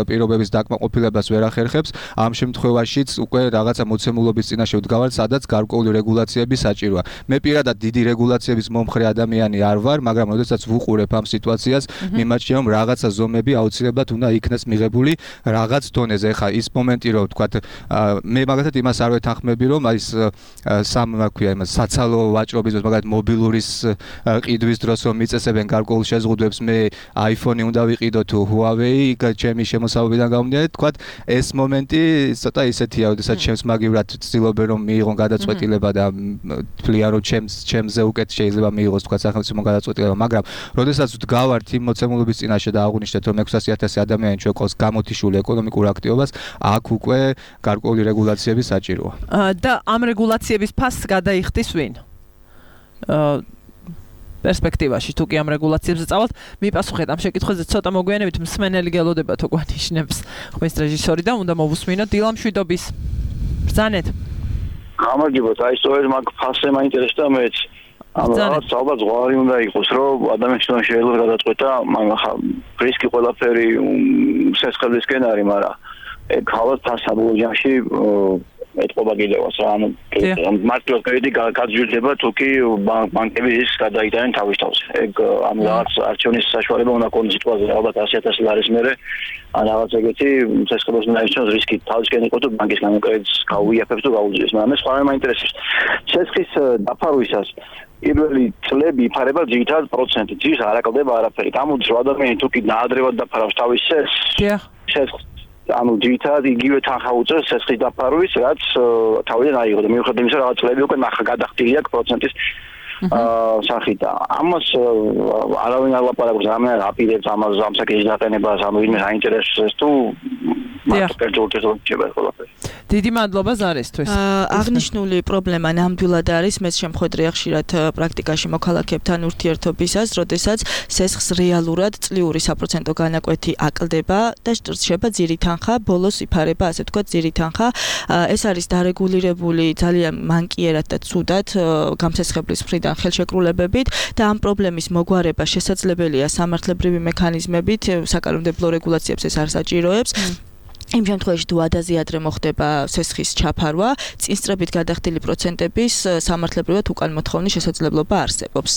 პირობების დაკმაყოფილებას ვერ ახერხებს, ამ შემთხვევაშიც უკვე რაღაცა მოცემულობის წინაშე ვდგავართ, სადაც გარკვეული რეგულაციები საჭიროა. მე პირადად დიდი რეგულაციების მომხრე ადამიანი არ ვარ, მაგრამ როდესაც ვუყურებ ამ სიტუაციას, მიმაჩნია, რომ რაღაცა ზომები აუცილებლად უნდა იქნას მიღებული რაღაც დონეზე. ეხლა ის მომენტი, რომ ვთქვათ, მე მაგალითად იმას არ ვეთანხმები, რომ ის საცალო ვაჭრობის, მაგალითად მობილურის ყიდვის დროს რომ მიწესებენ გარკვეულ შეზღუდვებს, მე iPhone-ი უნდა ვიყიდო თუ Huawei, ჩემი შემოსავალიდან გამომდინარე, თქვათ, ეს მომენტი ცოტა ისეთია, როდესაც ჩემს მაგივრად ვცდილობენ რომ მიიღონ გადაწყვეტილება და თვლიან რომ ჩემზე უკეთ შეიძლება მიიღოს თქვათ სახელმწიფო გადაწყვეტილება, მაგრამ როდესაც ვდგავართ იმ მოცემულობის წინაშე და აღვნიშნეთ რომ 600,000 ადამიანი ჩვენ ყავს გამოთიშული ეკონომიკურ აქტივობას, აქ უკვე გარკვეული რეგულაციები საჭიროა. და ამ რეგულაციების ფასს გადაიხდის ვინ? პერსპექტივაში თუ კი ამ რეგულაციებზე წავალთ, მიპასუხეთ ამ შეკითხვაზე ცოტა მოგვიანებით მსმენელი გელოდება თუ გვანიშნებს ხმის რეჟისორი და უნდა მოვუსმინოთ დილა მშვიდობის. ბრძანეთ. გამარჯობათ, აი სწორედ მაგ ფასზე მაინტერესდა მეც. ანუ რაღაც ალბათ ზღვარი უნდა იყოს, რომ ადამიანს შეიძლება გადაწყვეტა, მაგრამ ხა რისკი ყველაფერი სესხებისკენ არის, მაგრამ ეგ ხალხ ფასაბულ ჯამში ეთყობა კიდევაც რა, ანუ მარტო კრედიტი გაძვირდება თუ კი ბანკები ის გადაიტანენ თავის თავს. ეგ ამ რაღაც არჩევნის საშუალება უნდა კონდეს სიტუაცია, ალბათ 100,000 ლარის მერე ან რაღაც ეგეთი სესხებას უნდა ისჩოს რისკი თავისკენ იყო თუ ბანკისგან კრედიტს გაუიაფებს თუ გაუძიებს, მაგრამ ეს ყველა მაინტერესებს. სესხის დაფარვისას პირველი წლები იფარება ძირითადად პროცენტით, ძირს არ აკლდება არაფერი. გამოდის რომ ადამიანი თუ კი ნაადრევად დაფარავს თავის სესხს, ანუ ძირითადად იგივე თანხა უწევს სესხის დაფარვის, რაც თავიდან აიღო და მიუხედავად იმისა, რაღაც წლები უკვე ნახა გადახდილი აქვს პროცენტის სახით. ამას არავინ არ ლაპარაკობს, რამე აპირებს ამას ამ საკითხის დაყენებას, ანუ ვინმე აინტერესებს თუ მარტო კერძო ურთიერთობა ყველაფერი. დიდი მადლობა ზარისთვის. აღნიშნული პრობლემა ნამდვილად არის მეც შემხვედრია ხშირად პრაქტიკაში მოქალაქეებთან ურთიერთობისას, როდესაც სესხს რეალურად წლიური საპროცენტო განაკვეთი აკლდება და რჩება ძირი თანხა, ბოლოს იფარება ასე თქვა ძირი თანხა. ეს არის დარეგულირებული ძალიან მანკიერად და ცუდად გამსესხებლის მხრიდან ხელშეკრულებებით და ამ პრობლემის მოგვარება შესაძლებელია სამართლებრივი მექანიზმებით, საკანონმდებლო რეგულაციებს ეს არ საჭიროებს. იმ შემთხვევაში თუ ადაზე ადრე მოხდება სესხის ჩაფარვა, წინსწრებით გადახდილი პროცენტების სამართლებრივად უკან მოთხოვნის შესაძლებლობა არსებობს.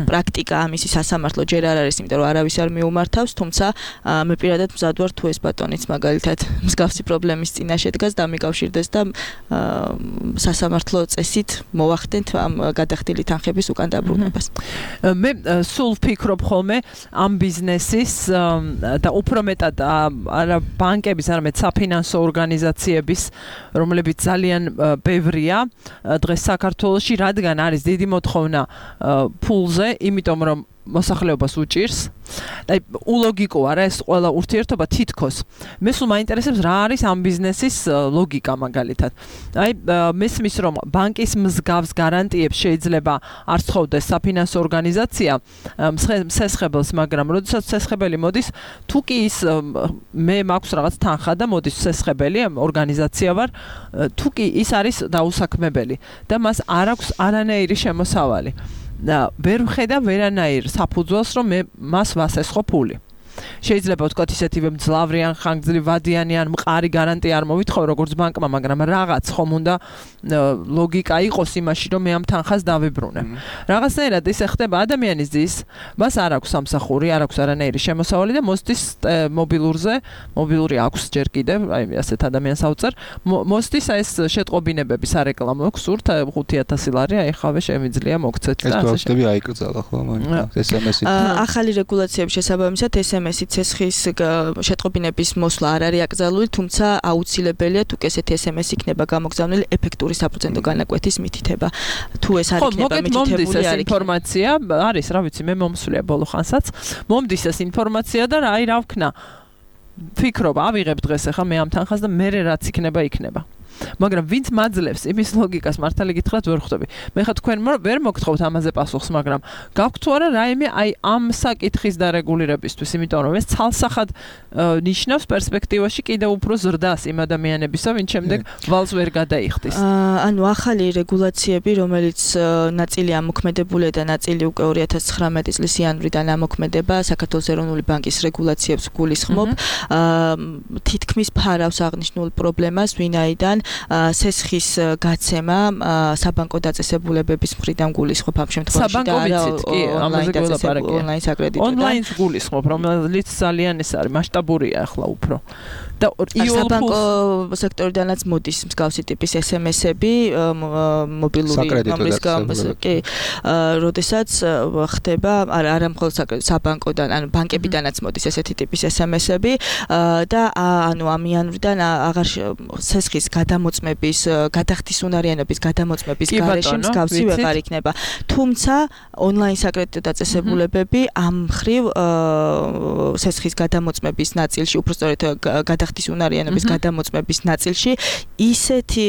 პრაქტიკა ამისი სასამართლო ჯერ არ არის, იმიტომ რომ არავის არ მიუმართავს, თუმცა მე პირადად მზად ვარ თუ ეს ბატონიც მაგალითად მსგავსი პრობლემის წინაშე დგას და მიკავშირდეს და სასამართლო წესით მოვახდენთ ამ გადახდილი თანხების უკან დაბრუნებას. მე სულ ვფიქრობ ხოლმე ამ ბიზნესის და უფრო მეტად არა ბანკების, არამედ საფინანსო ორგანიზაციების, რომლებიც ძალიან ბევრია დღეს საქართველოში, რადგან არის დიდი მოთხოვნა ფულზე, იმიტომ რომ მოსახლეობას უჭირს. აი, ულოგიკო არა ეს ყველა ურთიერთობა თითქოს. მე სულ მაინტერესებს რა არის ამ ბიზნესის ლოგიკა მაგალითად. აი, მესმის რომ ბანკის მსგავს გარანტიებს შეიძლება არ სწოვდეს საფინანსო ორგანიზაცია სესხებელს, მაგრამ როდესაც სესხებელი მოდის, თუ კი ის მე მაქვს რაღაც თანხა და მოდის სესხებელი, ორგანიზაცია ვარ, თუ კი ის არის დაუსაქმებელი და მას არ აქვს არანაირი შემოსავალი. და ვერ ვხედავ ვერანაირ საფუძველს, რომ მე მას ვასესხო ფული. შეიძლება ვთქვათ ისეთივე მძლავრი ან ხანგრძლივი ვადიანი ან მყარი გარანტია არ მოვითხოვ როგორც ბანკმა, მაგრამ რაღაც ხომ უნდა ლოგიკა იყოს იმაში, რომ მე ამ თანხას დავიბრუნე. რაღაცნაირად ისე ხდება ადამიანის ძის, მას არ აქვს სამსახური, არ აქვს არანაირი შემოსავალი და მოსდის მობილური აქვს ჯერ კიდევ, აი ასეთ ადამიანს ავწერ, მოსდის ეს შეტყობინებების არეკლამო გსურთ 5000 ლარი, აი ხავე შემიძლია მოგცეთ და ასე შევდები აიკრძალა ხო მაგ SMS-ით. ახალი რეგულაციების შესაბამისად SMS-ით ცესხის შეტყობინების მოსვლა არ არის აკრძალული, თუმცა აუცილებელია თუ ესეთი SMS იქნება გამოგზავნილი ეფექტური საპროცენტო განაკვეთის მითითება. თუ ეს არ იქნება მითითებული არის ინფორმაცია, არის რა ვიცი, მე მომსვლია ბოლო ხანსაც. მომდის ეს ინფორმაცია და აი რა ვქნა. ფიქრობ, ავიღებ დღეს ახლა მე ამ თანხას და მე რაც იქნება. მაგრამ ვინც მაძლევს იმის ლოგიკას მართალი გითხრათ ვერ ხვდები. მე ხა თქვენ ვერ მოგთხოვთ ამაზე პასუხს, მაგრამ გაქვთ თუ არა რაიმე აი ამ საკითხის დარეგულირებისთვის, იმიტომ რომ ეს ცალსახად ნიშნავს პერსპექტივაში კიდევ უფრო ზრდას იმ ადამიანებისა, ვინც შემდეგ ვალს ვერ გადაიხდის. ანუ ახალი რეგულაციები, რომელიც ნაწილი ამოქმედებულია და ნაწილი უკვე 2019 წლის იანვრიდან ამოქმედება, საქართველოს ეროვნული ბანკის რეგულაციებს გულისხმობ, თითქმის ფარავს აღნიშნულ პრობლემას, ვინაიდან სესხის გაცემა საბანკო დაწესებულებების მხრიდან გულისხმობ ამ შემთხვევაში და არა ონლაინ საკრედიტო. ონლაინს გულისხმობ, რომელიც ძალიან ეს არის მასშტაბურია ახლა უფრო. და საბანკო სექტორიდანაც მოდის მსგავსი ტიპის SMS-ები მობილური რომლის კი როდესაც ხდება არა მხოლოდ საბანკოდან, ანუ ბანკებიდანაც მოდის ესეთი ტიპის SMS-ები და ანუ ამ იანვრიდან აღარ სესხის გადამოწმების, გადახდის უნარიანობის გადამოწმების გარეშე მსგავსი ვეღარ იქნება. თუმცა ონლაინ საკრედიტო დაწესებულებები ამ მხრივ სესხის გადამოწმების ნაწილში, უბრალოდ გადახდის უნარიანობის გადამოწმების ნაწილში ისეთი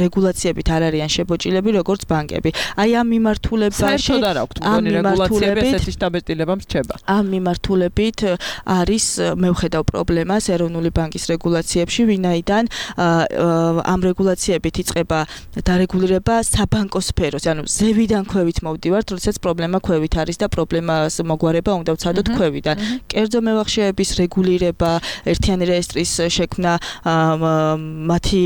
რეგულაციებით არ არიან შებოჭილები, როგორც ბანკები. აი ამ მიმართულებაში საერთოდ არ აქვს მგონი რეგულაციები ესეთი შტაბეტილება მრჩება. ამ მიმართულებით არის მე ვხედავ პრობლემას ეროვნული ბანკის რეგულაციებში, ვინაიდან ამ რეგულაციებით იწყება დარეგულირება საბანკო სფეროს, ანუ ზევიდან ქვევით მოვდივართ, როდესაც პრობლემა ქვევით არის და პრობლემას მოგვარება უნდა ვცადოთ ქვევიდან. კერძო მევახშეების რეგულირება, ერთიანი რეესტრის შექმნა, მათი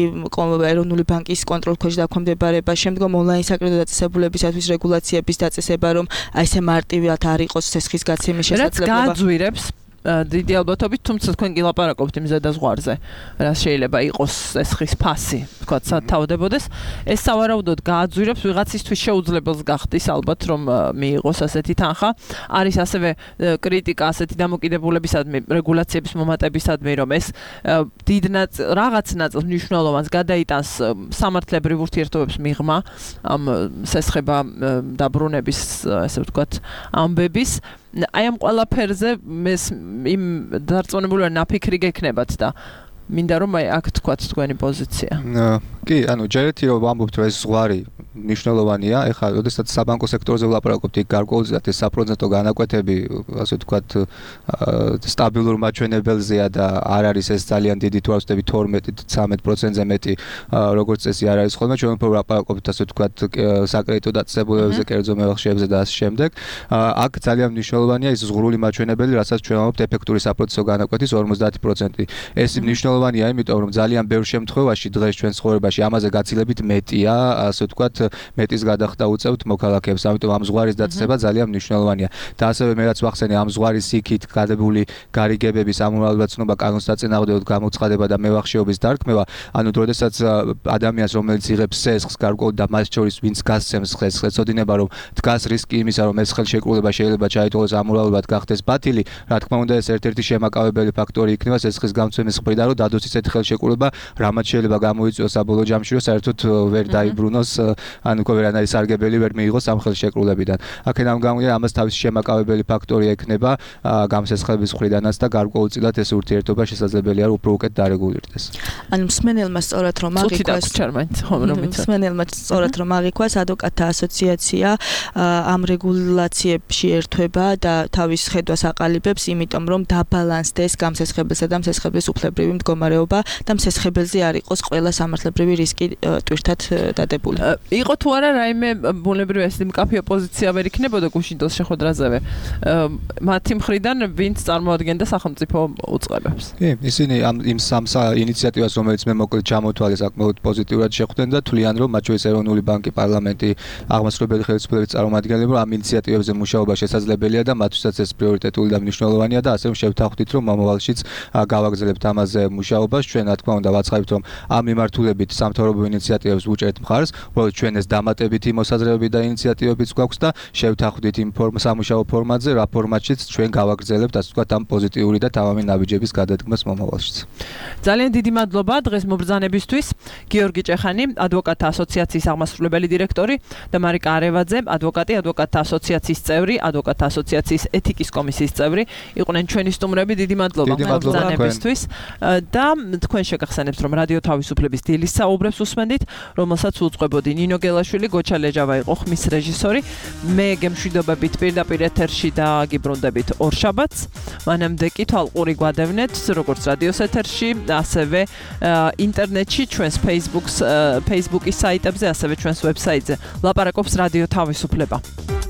ეროვნული ბანკის კონტროლ ქვეშ დაქვემდებარება, შემდგომ ონლაინ საკრედიტო დაწესებულებისათვის რეგულაციების დაწესება, რომ აი ესე მარტივად არ იყოს სესხის გაცემის შესაძლებლობა. რაც გააძვირებს დიდი ალბათობით, თუმცა თქვენ კი ლაპარაკობთ იმ ზედაზღვარზე, რაც შეიძლება იყოს სესხის ფასი, თქვათ სათავდებოდეს, ეს სავარაუდოდ გააძვირებს ვიღაცისთვის შეუძლებელს გახდის ალბათ რომ მიიღოს ასეთი თანხა. არის ასევე კრიტიკა ასეთი დამოკიდებულებისადმი, რეგულაციების მომატებისადმი, რომ ეს დიდ რაღაც ნაწილს მნიშვნელოვანს გადაიტანს სამართლებრივ ურთიერთობებს მიღმა ამ სესხება დაბრუნების, ესე ვთქვათ, ამბების. აი ამ ყველაფერზე იმ დარწმუნებული ვარ ნაფიქრი გექნებათ და მინდა რომ აი აქ თქვათ თქვენი პოზიცია. კი, ანუ ჯერეთი რომ ვამბობთ რომ ეს ზღვარი მნიშვნელოვანია, ეხლა როდესაც საბანკო სექტორზე ვლაპარაკობთ, იქ გარკვეულწილად ეს საპროცენტო განაკვეთები, ასე ვთქვათ, სტაბილურ მაჩვენებელზეა და არ არის ეს ძალიან დიდი თუ არ ვწდები 12-13%-ზე მეტი, როგორც წესი არ არის ხოლმე, ჩვენ უფრო ვლაპარაკობთ, ასე ვთქვათ, საკრედიტო დაწესებულებებზე, კერძო მევახშეებზე და ასე შემდეგ. აქ ძალიან მნიშვნელოვანია ის ზღვრული მაჩვენებელი, რასაც ჩვენ ვამბობთ ეფექტური საპროცენტო განაკვეთის 50%. ეს მნიშვნელოვანია, იმიტომ რომ ძალიან ბევრ შემთხვევაში დღეს ჩვენ ცხოვრებაში ამაზე გაცილებით მეტია, ასე ვთქვათ, მეტის გადახდა უწევთ მოქალაქეებს, ამიტომ ამ ზღვარის დაწესება ძალიან მნიშვნელოვანია. და ასევე მე რაც ვახსენე, ამ ზღვარის იქით გადებული გარიგებების ამომრავლებლობა კანონს დაწინააღმდეგოდ გამოცხადება და მევახშეობის დარქმევა, ანუ როდესაც ადამიანს რომელიც იღებს სესხს გარკვეულ და მას შორის ვინც გასცემს სესხს, ეცოდინება რომ დგას რისკი იმისა, რომ ეს ხელშეკრულება შეიძლება ჩაითვალოს ამომრავლებლად გახდეს ბათილი, რა თქმა უნდა ეს ერთ-ერთი შემაკავებელი ფაქტორი იქნება სესხის გამცემის მხრიდან, რომ დადოს ისეთი ხელშეკრულება, რამაც შეიძლება გამოიწვიოს საბოლოო ჯამში, რომ საერთოდ ვერ დაიბრუნოს, ანუ ვერანაირი სარგებელი ვერ მიიღოს ამ ხელშეკრულებიდან. აქედან გამომდინარე, ამას თავისი შემაკავებელი ფაქტორი ექნება გამსესხების მხრიდანაც და გარკვეულწილად ეს ურთიერთობა შესაძლებელია რომ უფრო უკეთ დარეგულირდეს. ანუ მსმენელმა სწორად რომ აღიქვას ადვოკატთა ასოციაცია ამ რეგულაციებში ერთვება და თავის ხედვას აყალიბებს, იმიტომ რომ დაბალანსდეს გამსესხებელსა და მსესხებლის უფლებრივი მდგომარეობა და მსესხებელზე არ იყოს ყველა სამართლებრივი მუდმივი რისკი ტვირთად დადებული. იყო თუ არა რაიმე ბუნებრივი ეს მკაფიო პოზიცია ვერ იქნებოდა გუშინდელს შეხვედრაზევე. მათი მხრიდან ვინც წარმოადგენდა სახელმწიფო უწყებებს. კი, ისინი იმ სამ ინიციატივას, რომელიც მე მოკლედ ჩამოთვალე, საკმაოდ პოზიტიურად შეხვდნენ და თვლიან, რომ მათ შორის ეროვნული ბანკი, პარლამენტი, აღმასრულებელი ხელისუფლების წარმომადგენლები ამ ინიციატივებზე მუშაობა შესაძლებელია და მათთვისაც ეს პრიორიტეტული და მნიშვნელოვანია და ასე რომ შევთანხმდით, რომ მომავალშიც გავაგრძელებთ ამაზე მუშაობას. ჩვენ რა თქმა უნდა ვაცხადებთ, რომ ამ მიმართულებით სამთავრობო ინიციატივებს ვუჭერთ მხარს, უბრალოდ ჩვენ ეს დამატებითი მოსაზრებები და ინიციატივებიც გვაქვს და შევთანხმდით იმ სამუშაო ფორმატზე, რა ფორმატშიც ჩვენ გავაგრძელებთ, ასე ვთქვათ, ამ პოზიტიური და თავამი ნაბიჯების გადადგმას მომავალშიც. ძალიან დიდი მადლობა დღეს მობრძანებისთვის. გიორგი ჭეხანი, ადვოკატთა ასოციაციის აღმასრულებელი დირექტორი და მარიკა არევაძე, ადვოკატი, ადვოკატთა ასოციაციის წევრი, ადვოკატთა ასოციაციის ეთიკის კომისიის წევრი, იყვნენ ჩვენი სტუმრები. დიდი მადლობა მობრძანებისთვის და თქვენ შეგახსენებთ, რომ რადიო თავისუფლების დილის საუბრებს უსმენდით, რომელსაც უწყებოდი ნინო გელაშვილი, გოჩა ლეჯავა იყო ხმის რეჟისორი. მე გემშვიდობებით პირდაპირ ეთერში და გიბრუნდებით ორშაბათს. მანამდე კი თვალყური გვადევნეთ, როგორც რადიოს ეთერში, ასევე ინტერნეტში, ჩვენს Facebook-ის საიტებზე, ასევე ჩვენს ვებსაიტზე. ლაპარაკობს რადიო თავისუფლება.